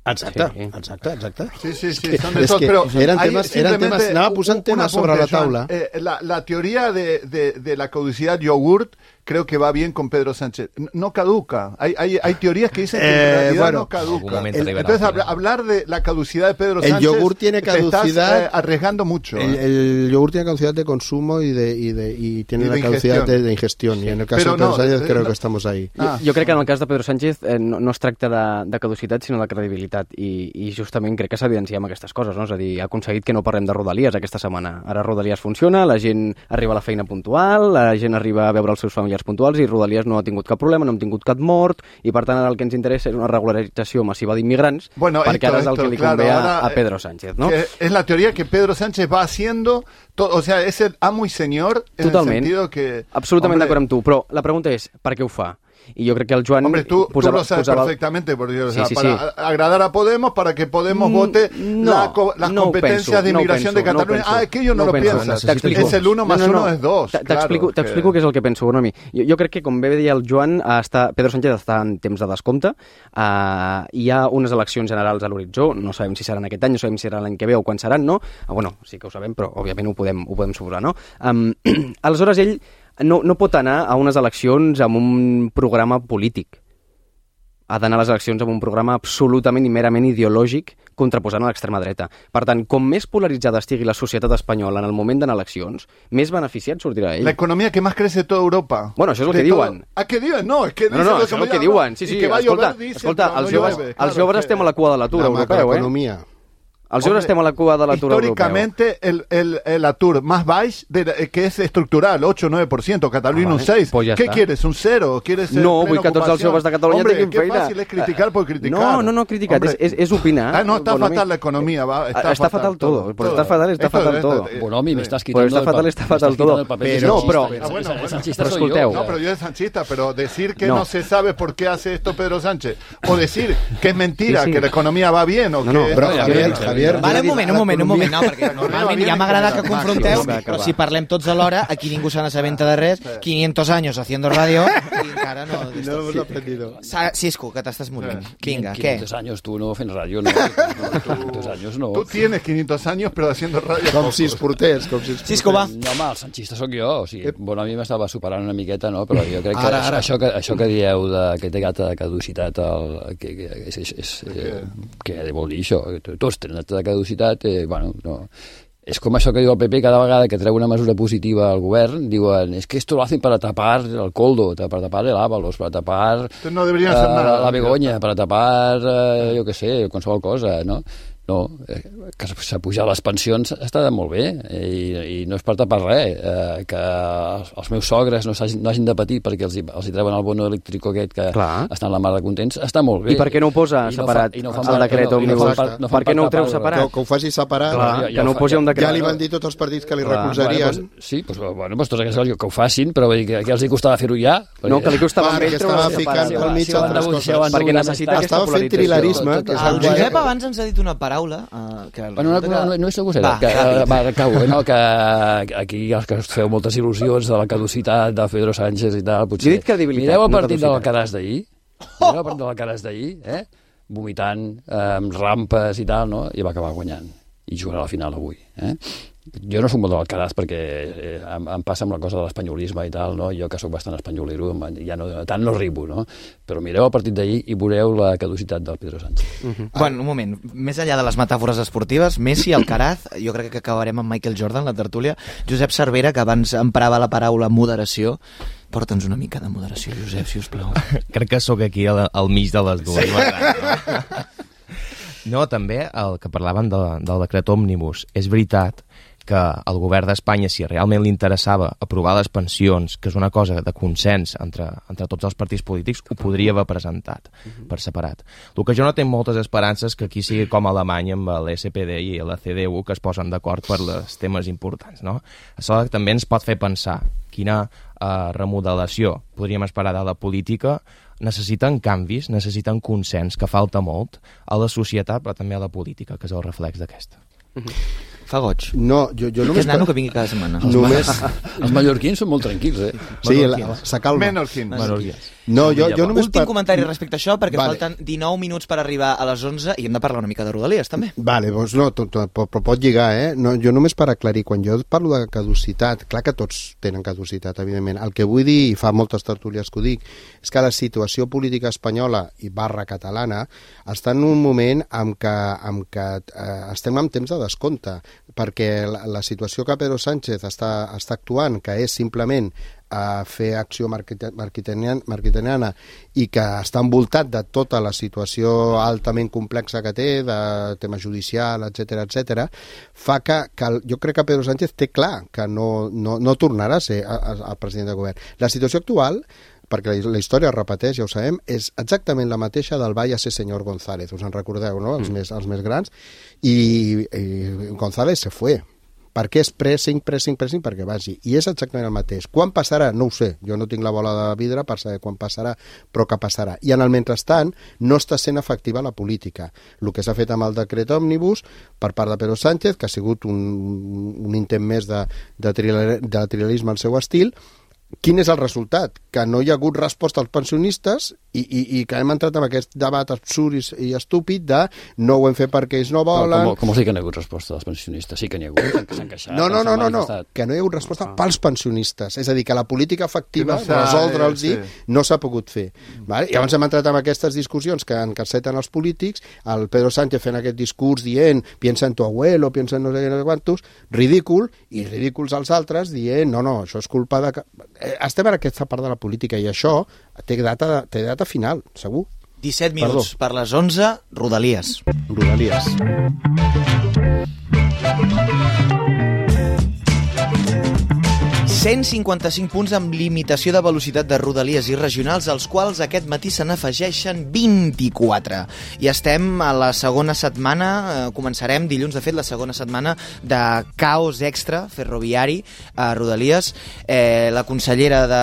Exacte, sí, exacte, exacte. Sí, sí, sí, son de tot, però eren temes, eren temes, anava posant temes sobre la taula. Eh, la, la teoría de, de, de la caducidad yogurt creo que va bien con Pedro Sánchez. No caduca. Hay, hay, hay teorías que dicen que en realidad eh, bueno, no caduca. El, entonces, habla, hablar de la caducidad de Pedro el Sánchez, yogur tiene caducidad, te estás eh, arriesgando mucho. El, el yogur tiene caducidad de consumo y, de, y, de, y tiene y de la caducidad de, de ingestión. Sí. Y en el caso Pero de Pedro no, Sánchez eh, creo no. que estamos ahí. Ah. Jo, jo crec que en el cas de Pedro Sánchez eh, no, no es tracta de, de caducitat, sinó de credibilitat. I, i justament crec que s'evidencia amb aquestes coses, no? És a dir, ha aconseguit que no parlem de Rodalies aquesta setmana. Ara Rodalies funciona, la gent arriba a la feina puntual, la gent arriba a veure els seus familiars puntuals i Rodalies no ha tingut cap problema, no hem tingut cap mort, i per tant ara el que ens interessa és una regularització massiva d'immigrants, bueno, perquè ara és el que li convé claro, a, a Pedro Sánchez, ¿no? Es la teoría que Pedro Sánchez va haciendo, to, o sea, es el amo y señor en Totalment. el sentido que... Absolutament d'acord amb tu, però la pregunta és, per què ho fa? Y yo creo que el Joan... Hombre, tú, posaba, tú lo sabes posaba... perfectamente, porque, o sí, sea, sí, para sí. agradar a Podemos, para que Podemos vote no, la, las no competencias penso, de inmigración no de Cataluña. No ah, es que ellos no, no lo penso, piensan. Es el uno más no, no, no. uno es dos. T'explico Claro, que... què és el que penso, Bonomi. Jo, jo crec que, com bé deia el Joan, està, Pedro Sánchez està en temps de descompte. Uh, hi ha unes eleccions generals a l'horitzó. No sabem si seran aquest any, no sabem si seran l'any que ve o quan seran, no? Uh, bueno, sí que ho sabem, però òbviament ho podem, ho podem suposar, no? Um, aleshores, ell no, no pot anar a unes eleccions amb un programa polític. Ha d'anar a les eleccions amb un programa absolutament i merament ideològic contraposant a l'extrema dreta. Per tant, com més polaritzada estigui la societat espanyola en el moment d'anar a eleccions, més beneficiat sortirà ell. La economía que más crece de toda Europa. Bueno, això és el que diuen. Ah, què diuen? No, és que no, no, no, això és el que diuen. Sí, sí, escolta, escolta, els joves, els joves estem a la cua de l'atur europeu, eh? Els joves estem a la cua de l'atur europeu. Históricamente, el, el, el atur más baix, de, que es estructural, ocho o nueve por ciento, Cataluña ah, vale. un seis. Pues ja ¿Qué està. quieres? ¿Un cero? ¿Quieres no, vull que tots els joves de Catalunya Hombre, tinguin feina. Hombre, qué fácil es criticar por criticar. No, no, no criticar, és, és, és opinar. Ah, no, está Bonomi. fatal la economía. Va, está, está fatal, fatal todo. todo. Pues está fatal, está esto, fatal esto, todo. Esto, Bonomi, me estás quitando pues está fatal, está fatal todo. Pero, no, pero... Ah, bueno, el sanchista pero soy yo. No, pero yo soy sanchista, pero decir que no. no se sabe por qué hace esto Pedro Sánchez, o decir que es mentira, sí, sí. que la economía va bien, o no, que... No, però, Javier, Javier... Vale, un moment, un moment, un moment, no, perquè normalment ja m'agrada que confronteu, però si parlem tots alhora, aquí ningú se n'assabenta de res, quinientos años haciendo radio, i encara no... No hemos aprendido. Cisco, que t'estàs morint. Vinga, què? quinientos años, tu no fent ràdio, no. quinientos años no. Tu tienes quinientos años, però haciendo radio. Com si es portés, com si es portés. Cisco, va. No, home, el sanchista sóc jo, o sigui, bueno, a mi m'estava superant una miqueta, no? Però jo crec que ara, ara. Això, que això que dieu de, que té data de caducitat, el, que, que, és, és, és, eh, què vol dir això? Tots tenen data de caducitat, eh, bueno, no... És com això que diu el P P cada vegada que treu una mesura positiva al govern, diuen, es que esto lo hacen para tapar el coldo, para tapar el Ábalos, para tapar no deberían hacer uh, nada, la Begoña, para tapar, uh, jo què sé, qualsevol cosa, no? No, que s'ha pujat les pensions està molt bé i, i no és per tapar res, eh, que els, els meus sogres no, no hagin de patir perquè els, els hi treuen el bono elèctric aquest que Clar. estan la mar de contents, està molt bé. I per què no ho posa I separat no fa, no el decret òmnibus? No, no per què no ho treu separat? Que, que ho faci separat. Clar, ja, ja que no ho posi un decret. Ja li van dir tots els partits que li Clar. recolzarien. Bueno, pues, sí, pues, bueno, pues tots aquests que ho facin, però vull dir que, que els hi costava fer-ho ja. No, que li costava fer ho estava ficant al mig altres coses. Perquè necessita aquesta polaritzzació. Estava fent trilerisme. El Josep abans ens ha dit una paraula que bueno, no, no, no, no és segur, que, va, acabo, no, que aquí els que us feu moltes il·lusions de la caducitat de Pedro Sánchez i tal, potser... Jo he dit credibilitat, mireu el no partit del Caràs d'ahir, mireu el partit del Caràs d'ahir, eh? vomitant, eh, amb rampes i tal, no? I va acabar guanyant. I jugarà a la final avui. Eh? Jo no soc molt de l'Alcaraz perquè eh, em, em passa amb la cosa de l'espanyolisme i tal, no? Jo que sóc bastant espanyolero, ja no, tant no ribo, no? Però mireu el partit d'ahir i veureu la caducitat del Pedro Sánchez. Uh-huh. Bueno, un moment, més enllà de les metàfores esportives, Messi, Alcaraz, jo crec que acabarem amb Michael Jordan, la tertúlia. Josep Cervera, que abans emprava la paraula moderació, porta'ns una mica de moderació, Josep, si us plau. Crec que sóc aquí al, al mig de les dues. Sí. No, també el que parlaven de, del decret òmnibus. És veritat que el govern d'Espanya, si realment li interessava aprovar les pensions, que és una cosa de consens entre, entre tots els partits polítics, ho podria haver presentat per separat. El que jo no tinc moltes esperances que aquí sigui com a Alemanya amb l'S P D i la C D U, que es posen d'acord per els temes importants, no? Això també ens pot fer pensar quina eh, remodelació podríem esperar de la política. Necessiten canvis, necessiten consens, que falta molt a la societat, però també a la política, que és el reflex d'aquesta. Fa goig. No, jo, jo només... Aquest nano que vingui cada setmana. Només... Els mallorquins són molt tranquils, eh? Sí, s'acalma. Menorquins. Menorquins. No, jo, jo només... Últim per... comentari respecte a això, perquè vale. falten dinou minuts per arribar a les onze i hem de parlar una mica de Rodalies, també. Vale, doncs no, tot, tot, però pot lligar, eh? No, jo només per aclarir, quan jo parlo de caducitat, clar que tots tenen caducitat, evidentment. El que vull dir, i fa moltes tertúlies que ho dic, és que la situació política espanyola i barra catalana està en un moment en què, en què eh, estem en temps de descompte, perquè la, la situació que Pedro Sánchez està, està actuant, que és simplement a fer acció marquitaniana i que està envoltat de tota la situació altament complexa que té, de tema judicial, etcètera, etcètera, fa que, que jo crec que Pedro Sánchez té clar que no, no, no tornarà a ser el president del govern. La situació actual, perquè la història es repeteix, ja ho sabem, és exactament la mateixa del Váyase senyor González, us en recordeu, no?, els, mm. més, els més grans, i, i González se fue. Per què és pressing, pressing, pressing? Perquè vagi. I és exactament el mateix. Quan passarà? No ho sé. Jo no tinc la bola de vidre per saber quan passarà, però que passarà. I en el mentrestant no està sent efectiva la política. El que s'ha fet amb el decret òmnibus per part de Pedro Sánchez, que ha sigut un, un intent més de, de, trial, de trialisme al seu estil. Quin és el resultat? Que no hi ha hagut resposta als pensionistes i, i, i que hem entrat en aquest debat absurd i, i estúpid de no ho hem fet perquè ells no volen... No, com, com sí que no hi ha hagut resposta als pensionistes? Sí que n'hi ha hagut, que s'han queixat. No, no, no, no, no, que no hi ha hagut resposta ah. pels pensionistes. És a dir, que la política efectiva, no resoldre'ls sí. no s'ha pogut fer. Vale? I llavors hem entrat en aquestes discussions que encaseten els polítics, el Pedro Sánchez fent aquest discurs dient piensa en tu abuelo, piensa en no sé quantos, ridícul, i ridículs als altres dient no, no, això és culpa de... Estem en aquesta part de la política i això té data, té data final, segur. disset minuts Perdó. Per les onze, Rodalies. Rodalies. cent cinquanta-cinc punts amb limitació de velocitat de rodalies i regionals, als quals aquest matí se n'afegeixen vint-i-quatre. I estem a la segona setmana, eh, començarem dilluns, de fet, la segona setmana de caos extra ferroviari a Rodalies. Eh, la consellera de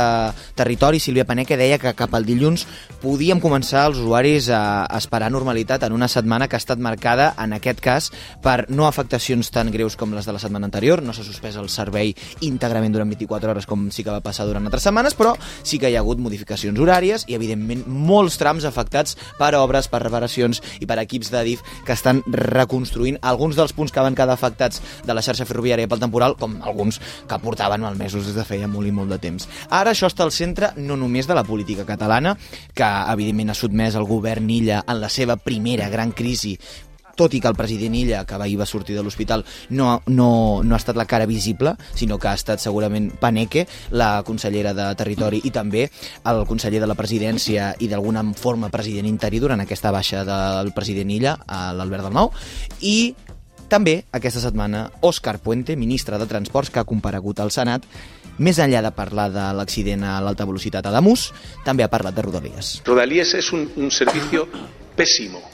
Territori, Sílvia Paneque, deia que cap al dilluns podíem començar els usuaris a esperar normalitat en una setmana que ha estat marcada, en aquest cas, per no afectacions tan greus com les de la setmana anterior. No s'ha suspès el servei íntegrament durant vint-i-quatre hores com sí que va passar durant altres setmanes, però sí que hi ha hagut modificacions horàries i evidentment molts trams afectats per obres, per reparacions i per equips d'Adif que estan reconstruint alguns dels punts que van quedar afectats de la xarxa ferroviària pel temporal, com alguns que portaven malmesos des de feia molt i molt de temps. Ara això està al centre no només de la política catalana, que evidentment ha sotmès el govern Illa en la seva primera gran crisi, tot i que el president Illa, que ahir va sortir de l'hospital, no, no, no ha estat la cara visible, sinó que ha estat segurament Paneque, la consellera de Territori, i també el conseller de la presidència i d'alguna forma president interí durant aquesta baixa del president Illa, l'Albert Dalmau, i també aquesta setmana Òscar Puente, ministre de Transports, que ha comparegut al Senat. Més enllà de parlar de l'accident a l'alta velocitat a Ademús, també ha parlat de Rodalies. Rodalies es un, un servicio pésimo.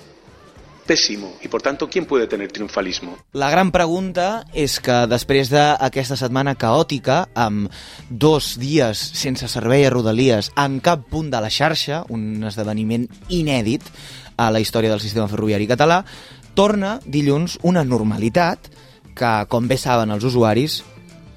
Pésimo, y por tanto, ¿quién puede tener triunfalismo? La gran pregunta és que després d'aquesta setmana caòtica, amb dos dies sense servei a Rodalies en cap punt de la xarxa, un esdeveniment inèdit a la història del sistema ferroviari català, torna dilluns una normalitat que, com bé saben els usuaris,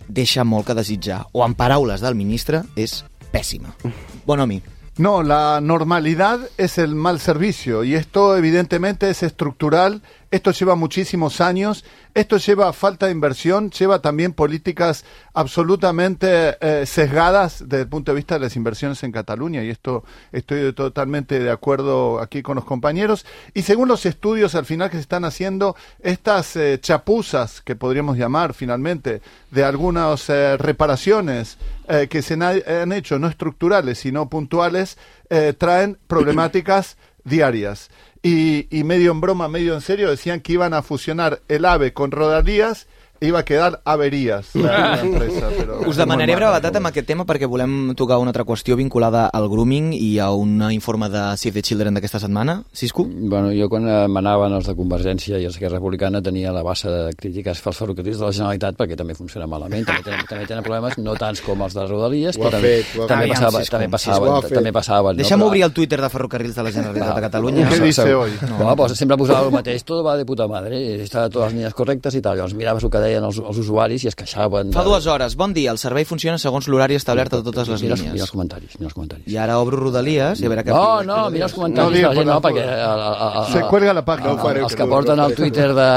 deixa molt que desitjar, o en paraules del ministre, és pèssima. Bonomi. No, la normalidad es el mal servicio y esto evidentemente es estructural, esto lleva muchísimos años, esto lleva falta de inversión, lleva también políticas absolutamente eh, sesgadas desde el punto de vista de las inversiones en Cataluña y esto estoy totalmente de acuerdo aquí con los compañeros y según los estudios al final que se están haciendo, estas eh, chapuzas que podríamos llamar finalmente de algunas eh, reparaciones eh, que se han hecho no estructurales sino puntuales eh, traen problemáticas diarias. Y, y medio en broma, medio en serio, decían que iban a fusionar el AVE con Rodalies, iba a quedar averies la, la empresa. Però us demanaré brevetat amb aquest tema perquè volem tocar una altra qüestió vinculada al grooming i a un informe de Save the Children d'aquesta setmana. Cisco? Bueno, jo quan manaven els de Convergència i els d'Esquerra Republicana tenia la bassa de crítiques pels ferrocarrils de la Generalitat perquè també funciona malament, també tenen, també tenen problemes, no tants com els de Rodalies, però també, fet, també, passava, també passaven. També passaven Deixa'm no? obrir el Twitter de Ferrocarrils de la Generalitat de Catalunya. Què dice hoy? No, no pues sempre posava el mateix, tot va de puta madre, està totes les línies correctes i tal, llavors miraves el que deien els, els usuaris i es queixaven. Fa dues hores, bon dia, el servei funciona segons l'horari establert a totes les mira, línies. Mira els comentaris, mira els comentaris. I ara obro Rodalies i a veure què... No, no, mira els comentaris no, de la gent, no, perquè... El, el, el, se cuelga la pàgina. No, els que porten al Twitter de,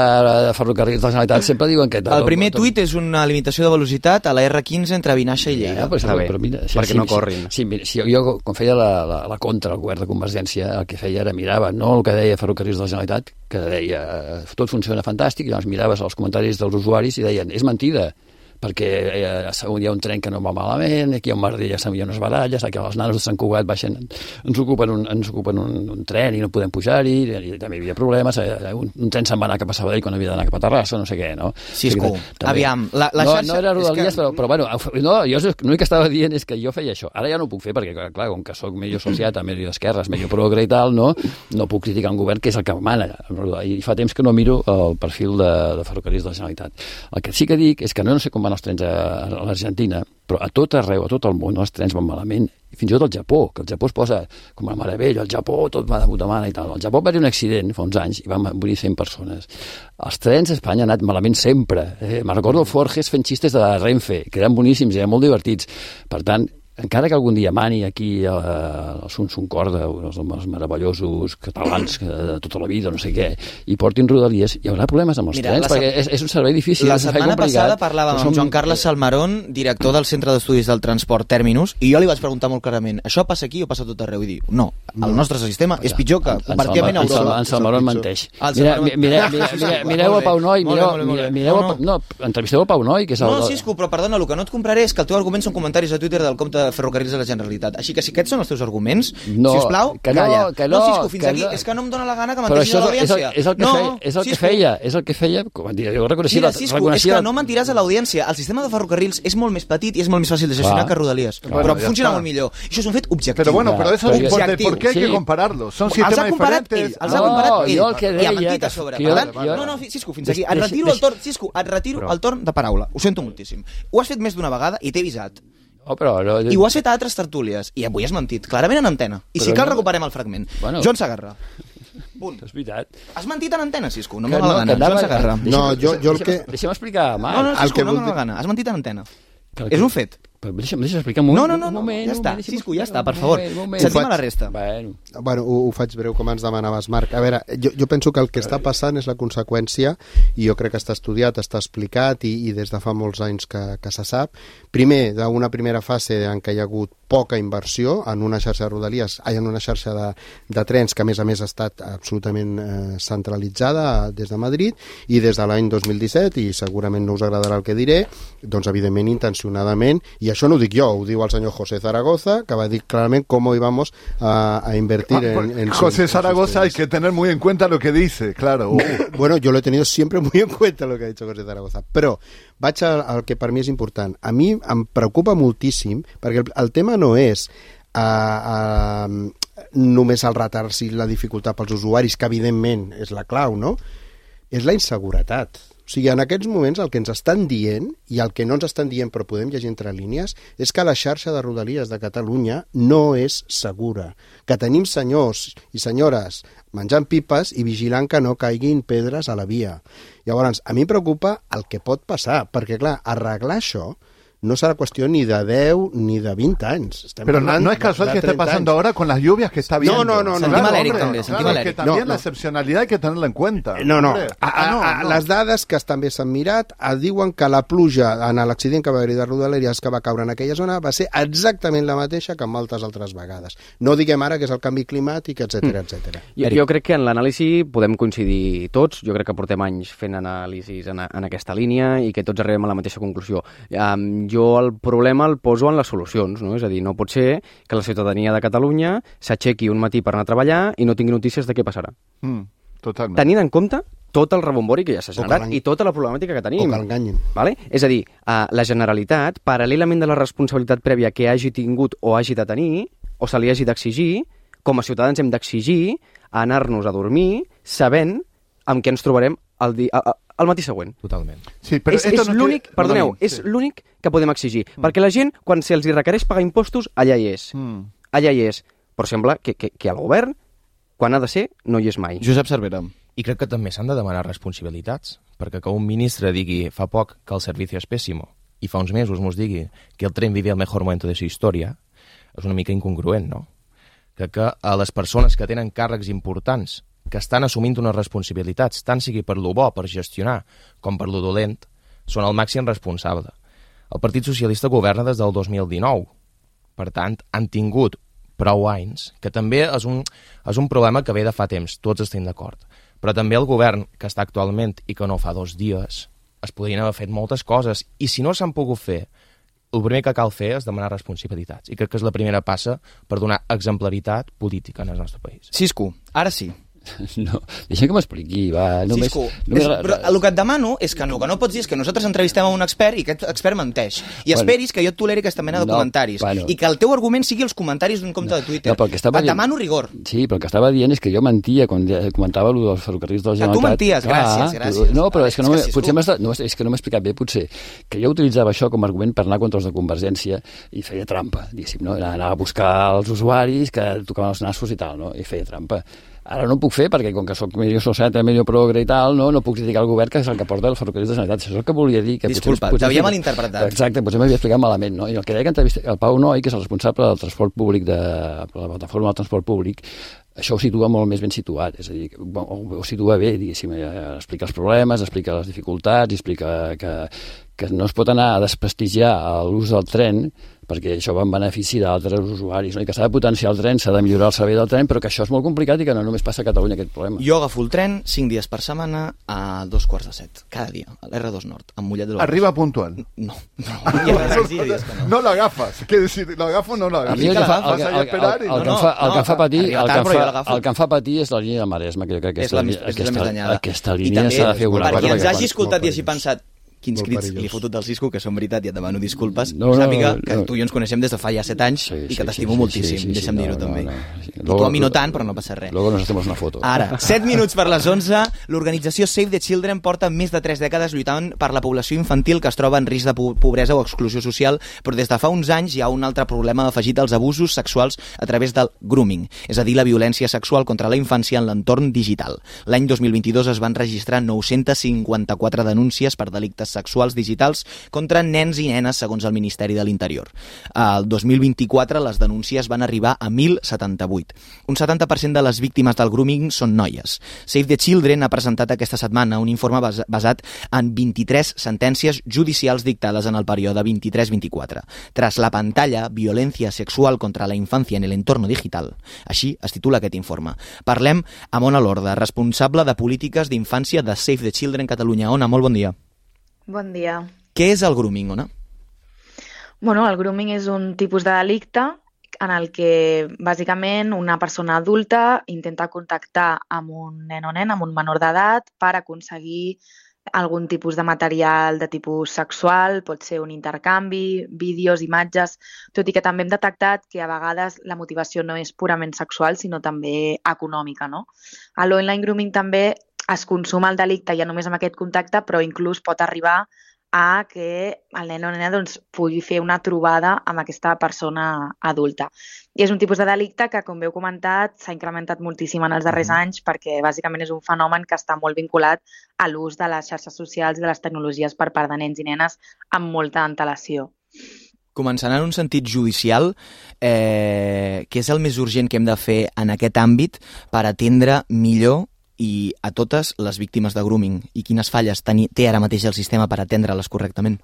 de Ferrocarrils de la Generalitat sempre diuen que... El primer tuit és una limitació de velocitat a la erre quinze entre Vinaixa i Lleida. Ja, però, però, però mira, si, perquè si, no corrin. Si, si, si jo, quan feia la, la, la contra al govern de Convergència, el que feia era mirava, no el que deia Ferrocarrils de la Generalitat, que deia tot funciona fantàstic, i llavors miraves els comentaris dels usuaris i deien, és mentida, perquè eh, segon hi ha un tren que no va malament, aquí hi ha un merder, ja hi ha unes baralles, aquí els nanos de Sant Cugat baixen, ens ocupen un, ens ocupen un, un tren i no podem pujar-hi, i, i també hi havia problemes, eh, un, un tren se'n va anar cap a Sabadell quan havia d'anar cap a Terrassa, no sé què, no? Cisco, també, aviam, la, la no, xarxa... No era Rodalies, que... però, però bueno, no, jo l'únic que estava dient és que jo feia això, ara ja no ho puc fer perquè, clar, com que soc medio sociata, medio d'esquerres, medio progre i tal, no, no puc criticar un govern que és el que mana, i fa temps que no miro el perfil de, de Ferrocarrils de la Generalitat. El que sí que dic és que no, no sé com van els trens a a l'Argentina, però a tot arreu, a tot el món, els trens van malament, i fins i tot al Japó, que el Japó es posa com a meravella, el Japó tot va de puta mare i tal. Al Japó va haver un accident fa uns anys i van morir cent persones. Els trens a Espanya han anat malament sempre. Eh, me recordo el Forges fent xistes de la Renfe, que eren boníssims i eren molt divertits. Per tant, encara que algun dia mani aquí eh, el Sun Sun Corda, els homes meravellosos catalans que de tota la vida, no sé què, i portin Rodalies, hi haurà problemes amb els Mira, trens, perquè és, és un servei difícil. La setmana passada parlàvem amb Joan Carles Salmarón, director del Centre d'Estudis del Transport Terminus, i jo li vaig preguntar molt clarament, això passa aquí o passa tot arreu? I diu, no, el nostre sistema és pitjor que pràcticament a Europa. En Salmarón menteix. Mireu el Pau Noi, mireu no, entrevisteu el Pau Noi, que és el... No, Cisco, però perdona, el que no et compraré és que el teu argument són comentaris a Twitter del compte de Ferrocarrils de la Generalitat. Així que si aquests són els teus arguments, no, si us plau, que no, calla. Que no, no, Cisco, fins que aquí. No. És que no em dóna la gana que menteixis a l'audiència. És el que, no, feia, és el que feia, és el que feia, com dir, jo reconeixia... Mira, Cisco, reconeixia... és que no mentiràs a l'audiència. El sistema de ferrocarrils és molt més petit i és molt més fàcil de gestionar que Rodalies. Clar, però bueno, funciona molt millor. Això és un fet objectiu. Pero bueno, pero eso es importante. ¿Por qué hay que compararlo? Son sistemas diferentes. Els ha comparat ell. I ha mentit a sobre. No, no, Cisco, fins aquí. Et retiro el torn, Cisco, et retiro el torn de paraula. Ho sento moltíssim. Ho has fet més d'una vegada i t'he avisat. Oh, però, no, I ho has fet a altres tertúlies. I avui has mentit, clarament en antena. I si cal, no... recuperem el fragment. Bueno. Joan Sagarra. Punt. És veritat. Has mentit en antena, Cisco. No me dóna la gana. Joan Sagarra. No, jo, jo el que... Deixa'm explicar, Marc. No, no, Cisco, no me dóna la gana. Has mentit en antena. És un fet. Però deixa'm, deixa'm explicar un moment. No, no, no, un moment, ja està, moment, Cisco, ja està, per favor. Sentim a la resta. Bueno, bueno ho, ho faig breu com ens demanaves, Marc. A veure, jo, jo penso que el que està passant és la conseqüència, i jo crec que està estudiat, està explicat, i, i des de fa molts anys que, que se sap. Primer, d'una primera fase en què hi ha hagut poca inversió en una xarxa de Rodalies, en una xarxa de, de trens que a més a més ha estat absolutament eh, centralitzada des de Madrid, i des de l'any dos mil disset, i segurament no us agradarà el que diré, doncs evidentment intencionadament, i això no ho dic jo, ho diu el senyor José Zaragoza, que va dir clarament com íbamos a, a invertir ah, en, en... José Zaragoza hay que tener muy en cuenta lo que dice, claro. Uh. Bueno, yo lo he tenido siempre muy en cuenta lo que ha dicho José Zaragoza, però vaig al, al que per mi és important. A mi em preocupa moltíssim, perquè el, el tema no és uh, uh, només el retard i la dificultat pels usuaris, que evidentment és la clau, no? És la inseguretat. O sigui, en aquests moments el que ens estan dient, i el que no ens estan dient però podem llegir entre línies, és que la xarxa de Rodalies de Catalunya no és segura, que tenim senyors i senyores menjant pipes i vigilant que no caiguin pedres a la via. Llavors, a mi em preocupa el que pot passar, perquè clar, arreglar això no serà qüestió ni de deu ni de vint anys. Estem Pero no, no es casual que esté pasando ahora con las lluvias que está viendo. No, no, no. Sentim no, a l'Eric, hombre, també, sentim Claro, a es que l'Eric. también No, la no. excepcionalidad hay que tenerla en cuenta. No, no. Hombre. A, a, Ah, no, a, no. les dades que també s'han mirat eh, diuen que la pluja en l'accident que va haver-hi de Rodalies que va caure en aquella zona va ser exactament la mateixa que en moltes altres vegades. No diguem ara que és el canvi climàtic, etcètera, etcètera. Jo, jo crec que en l'anàlisi podem coincidir tots. Jo crec que portem anys fent anàlisis en, en aquesta línia i que tots arribem a la mateixa conclusió. Um, jo el problema el poso en les solucions, no? És a dir, no pot ser que la ciutadania de Catalunya s'aixequi un matí per anar a treballar i no tingui notícies de què passarà. Mm, totalment. Tenint en compte tot el rebombori que ja s'ha O que generat l'en- i tota la problemàtica que tenim. O que l'enganyin. Vale? És a dir, uh, la Generalitat, paral·lelament de la responsabilitat prèvia que hagi tingut o hagi de tenir, o se li hagi d'exigir, com a ciutadans hem d'exigir anar-nos a dormir sabent amb què ens trobarem el, di el, el matí següent. Totalment. Sí, però és esto és no l'únic, quiere- perdoneu, no, és sí. l'únic que podem exigir. Mm. Perquè la gent, quan se'ls hi requereix pagar impostos, allà hi és. Mm. Allà hi és. Però sembla que, que, que el govern, quan ha de ser, no hi és mai. Josep Cervera. I crec que també s'han de demanar responsabilitats, perquè que un ministre digui fa poc que el servicio és pèssimo i fa uns mesos mos digui que el tren vivia el mejor momento de su història, és una mica incongruent, no? Crec que a les persones que tenen càrrecs importants, que estan assumint unes responsabilitats, tant sigui per lo bo, per gestionar, com per lo dolent, són el màxim responsable. El Partit Socialista governa des del dos mil dinou. Per tant, han tingut prou anys, que també és un, és un problema que ve de fa temps, tots estem d'acord. Però també el govern que està actualment i que no fa dos dies es podrien haver fet moltes coses, i si no s'han pogut fer, el primer que cal fer és demanar responsabilitats, i crec que és la primera passa per donar exemplaritat política en el nostre país. Cisco, ara sí. No, deixa que m'expliqui, va. Només, Cisco, només... és, però el que et demano és que no, que no pots dir és que nosaltres entrevistem a un expert i aquest expert menteix. I Bueno, esperis que jo et toleri aquesta mena de no, comentaris. bueno. I que el teu argument sigui els comentaris d'un compte de Twitter. No, però el que estava et dient- demano rigor. Sí, però el que estava dient és que jo mentia quan de- comentava allò dels ferrocarrils de la Que tu Generalitat. menties, gràcies, Clar, gràcies. No, però Vale, és que no, és m'he- que sí, potser Cisco. m'has- no, és que no m'he explicat bé, potser, que jo utilitzava això com a argument per anar contra els de Convergència i feia trampa, diguéssim, no? Anava a buscar els usuaris que tocaven els nassos i tal, no? I feia trampa. Ara no ho puc fer perquè, com que soc medio societa, medio progre i tal, no, no puc criticar el govern que és el que porta el ferrocarril de la Generalitat. Això és el que volia dir. Que Disculpa, potser, t'havia potser, malinterpretat. Exacte, potser m'havia explicat malament, no? I el que deia que entrevista el Pau Noi, que és el responsable del transport públic de la plataforma del transport públic, això ho situa molt més ben situat, és a dir, ho, ho situa bé, diguéssim, eh, explica els problemes, explica les dificultats, explica que, que no es pot anar a desprestigiar l'ús del tren perquè això va en benefici d'altres usuaris, no? I que s'ha de potenciar el tren, s'ha de millorar el servei del tren, però que això és molt complicat i que no només passa a Catalunya aquest problema. Jo agafo el tren cinc dies per setmana a dos quarts de set, cada dia, a l'R dos Nord, a Mollet de l'Obrós. Arriba puntual. No, no, hi ha res, sí, dies que no. No lo agafas, quiere decir, lo agafo o no lo A agafo. mi el que fa, el, Vas el, ahí a el, esperar el, y el, no, que em no, fa, el que em fa no, patir, arriba el que tard, em però jo fa, l'agafo. el que em fa patir és la línia de Maresme, que jo crec que És la, aquesta, més, és la més aquesta, danyada. aquesta I línia també, s'ha de fer alguna per qui cosa. ens perquè hagi quan- escoltat i molt hagi pensat quins Molt crits perillós. li he fotut del Cisco, que són veritat i et demano disculpes, No, no, sàpiga no, que no. tu i jo ens coneixem des de fa ja set anys Sí, i sí, que t'estimo sí, sí, moltíssim, sí, sí, deixa'm no, dir-ho no, també. no, sí. I tu Luego- a mi no tant, però no passa res. Luego nos hacemos una foto. Ara, set minuts per les onze, l'organització Save the Children porta més de tres dècades lluitant per la població infantil que es troba en risc de po- pobresa o exclusió social, però des de fa uns anys hi ha un altre problema afegit als abusos sexuals a través del grooming, és a dir, la violència sexual contra la infància en l'entorn digital. L'any dos mil vint-i-dos es van registrar nou-cents cinquanta-quatre denúncies per delictes sexuals digitals contra nens i nenes, segons el Ministeri de l'Interior. El dos mil vint-i-quatre les denúncies van arribar a mil setanta-vuit. Un setanta per cent de les víctimes del grooming són noies. Save the Children ha presentat aquesta setmana un informe bas basat en vint-i-tres sentències judicials dictades en el període vint-i-tres vint-i-quatre. Tras la pantalla, violencia sexual contra la infancia en el entorno digital. Així es titula aquest informe. Parlem amb Ona Lorda, responsable de polítiques d'infància de Save the Children Catalunya. Ona, molt bon dia. Bon dia. Què és el grooming, Ona? Bueno, el grooming és un tipus de delicte en el que, bàsicament, una persona adulta intenta contactar amb un nen o nen, amb un menor d'edat, per aconseguir algun tipus de material de tipus sexual, pot ser un intercanvi, vídeos, imatges, tot i que també hem detectat que a vegades la motivació no és purament sexual, sinó també econòmica, no? A l'online grooming també es consuma el delicte ja només amb aquest contacte, però inclús pot arribar a que el nen o nena doncs, pugui fer una trobada amb aquesta persona adulta. I és un tipus de delicte que, com heu comentat, s'ha incrementat moltíssim en els darrers mm. anys perquè bàsicament és un fenomen que està molt vinculat a l'ús de les xarxes socials i de les tecnologies per part de nens i nenes amb molta antelació. Començant en un sentit judicial, eh, què és el més urgent que hem de fer en aquest àmbit per atendre millor i a totes les víctimes de grooming? I quines falles té ara mateix el sistema per atendre-les correctament?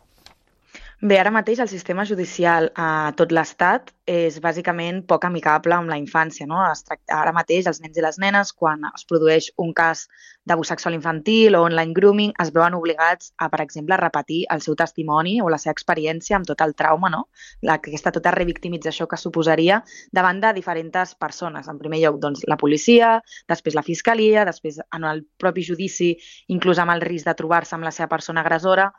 Bé, ara mateix el sistema judicial a tot l'Estat és bàsicament poc amicable amb la infància, no? Es tracta, ara mateix els nens i les nenes, quan es produeix un cas d'abús sexual infantil o online grooming, es veuen obligats a, per exemple, repetir el seu testimoni o la seva experiència amb tot el trauma, no? La, aquesta tota revictimització que suposaria davant de diferents persones. En primer lloc, doncs, la policia, després la fiscalia, després en el propi judici, inclús amb el risc de trobar-se amb la seva persona agressora.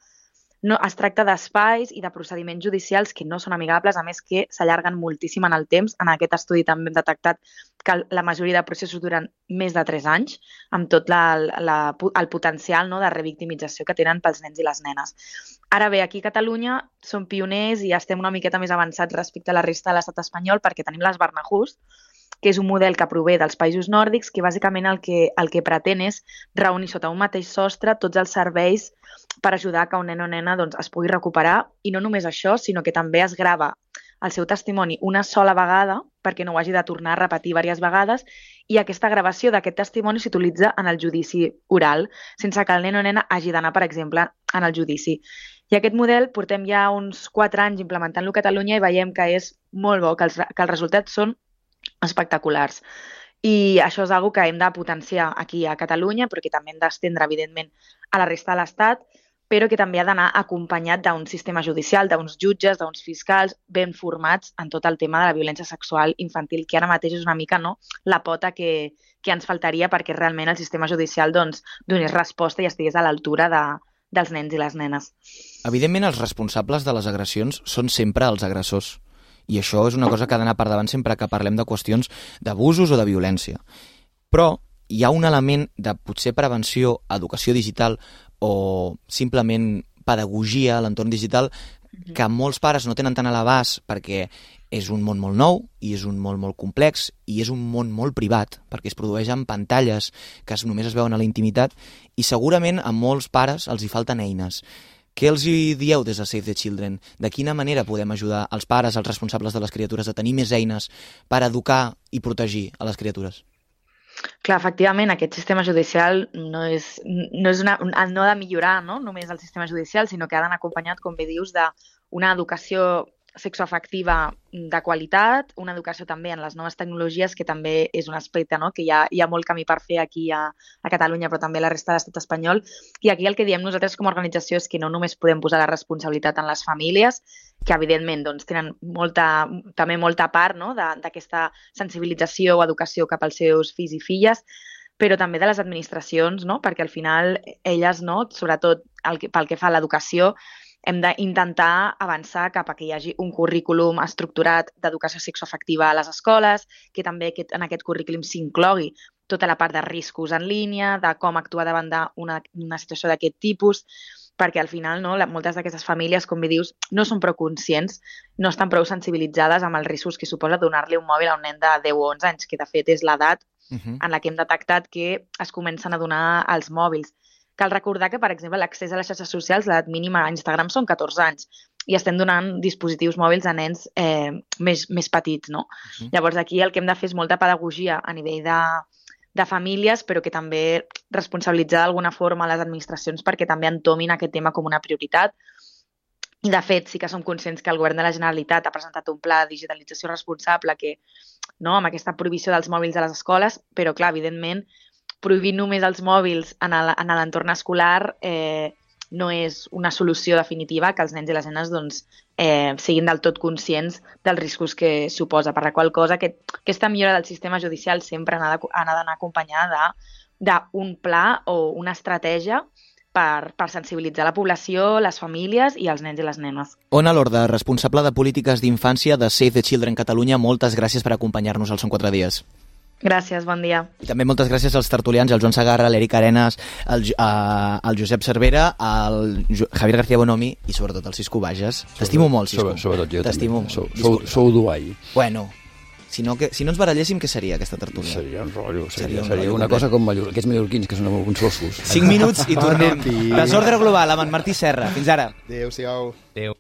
No, es tracta d'espais i de procediments judicials que no són amigables, a més que s'allarguen moltíssim en el temps. En aquest estudi també hem detectat que la majoria de processos duren més de tres anys, amb tot la, la, el potencial, no, de revictimització que tenen pels nens i les nenes. Ara bé, aquí a Catalunya som pioners i estem una miqueta més avançats respecte a la resta de l'estat espanyol perquè tenim les Barnahus, que és un model que prové dels països nòrdics, que bàsicament el que, el que pretén és reunir sota un mateix sostre tots els serveis per ajudar que un nen o nena doncs, es pugui recuperar. I no només això, sinó que també es grava el seu testimoni una sola vegada perquè no ho hagi de tornar a repetir diverses vegades i aquesta gravació d'aquest testimoni s'utilitza en el judici oral, sense que el nen o nena hagi d'anar, per exemple, en el judici. I aquest model portem ja uns quatre anys implementant-lo a Catalunya i veiem que és molt bo, que els, que els resultats són espectaculars. I això és una cosa que hem de potenciar aquí a Catalunya, però que també hem d'estendre, evidentment, a la resta de l'Estat, però que també ha d'anar acompanyat d'un sistema judicial, d'uns jutges, d'uns fiscals ben formats en tot el tema de la violència sexual infantil, que ara mateix és una mica, no, la pota que, que ens faltaria perquè realment el sistema judicial doncs, donés resposta i estigués a l'altura de, dels nens i les nenes. Evidentment, els responsables de les agressions són sempre els agressors. I això és una cosa que ha d'anar per davant sempre que parlem de qüestions d'abusos o de violència. Però hi ha un element de potser prevenció, educació digital o simplement pedagogia a l'entorn digital que molts pares no tenen tant a l'abast perquè és un món molt nou i és un món molt complex i és un món molt privat perquè es produeix en pantalles que només es veuen a la intimitat i segurament a molts pares els hi falten eines. Què els hi dieu des de Save the Children? De quina manera podem ajudar els pares, els responsables de les criatures, a tenir més eines per educar i protegir a les criatures? Clar, efectivament, aquest sistema judicial no és, no és una, no ha de millorar, no? Només el sistema judicial, sinó que ha d'anar acompanyat, com bé dius, d'una educació sexoafectiva de qualitat, una educació també en les noves tecnologies, que també és un aspecte, no? Que hi ha, hi ha molt camí per fer aquí a, a Catalunya, però també a la resta de l'estat espanyol. I aquí el que diem nosaltres com a organització és que no només podem posar la responsabilitat en les famílies, que evidentment doncs, tenen molta, també molta part, no? D'aquesta sensibilització o educació cap als seus fills i filles, però també de les administracions, no? Perquè al final elles, no? Sobretot el que, pel que fa a l'educació, hem d'intentar avançar cap a que hi hagi un currículum estructurat d'educació sexoafectiva a les escoles, que també en aquest currículum s'inclogui tota la part de riscos en línia, de com actuar davant d'una una situació d'aquest tipus, perquè al final no, moltes d'aquestes famílies, com bé dius, no són prou conscients, no estan prou sensibilitzades amb els riscos que suposa donar-li un mòbil a un nen de deu o onze anys, que de fet és l'edat uh-huh. en la que hem detectat que es comencen a donar els mòbils. Cal recordar que, per exemple, l'accés a les xarxes socials, l'edat mínima a Instagram són catorze anys i estem donant dispositius mòbils a nens eh, més, més petits, no? Uh-huh. Llavors, aquí el que hem de fer és molta pedagogia a nivell de, de famílies, però que també responsabilitzar d'alguna forma les administracions perquè també entomin aquest tema com una prioritat. I, de fet, sí que som conscients que el Govern de la Generalitat ha presentat un pla de digitalització responsable que, no, amb aquesta prohibició dels mòbils a les escoles, però, clar, evidentment, prohibir només els mòbils en l'entorn escolar eh, no és una solució definitiva que els nens i les nenes doncs, eh, siguin del tot conscients dels riscos que suposa, per la qual cosa que aquesta millora del sistema judicial sempre ha d'anar acompanyada d'un pla o una estratègia per, per sensibilitzar la població, les famílies i els nens i les nenes. Ona Lorda, responsable de polítiques d'infància de Save the Children Catalunya, moltes gràcies per acompanyar-nos al Són quatre dies. Gràcies, bon dia. I també moltes gràcies als tertulians, al Joan Segarra, l'Eric Arenas, al, al Josep Cervera, al Javier García Bonomi i sobretot al Cisco Bages. T'estimo molt, Cisco. Sobretot jo T'estimo també. Sou, sou, sou duai. Bueno, si no, que, si no ens baralléssim, què seria aquesta tertúlia? Seria un rotllo. Seria, seria, un seria rotllo una complet. cosa com Mallor, aquests mallorquins, que són uns ossos. Cinc minuts i tornem. Desordre global amb en Martí Serra. Fins ara. Adéu-siau. Adéu.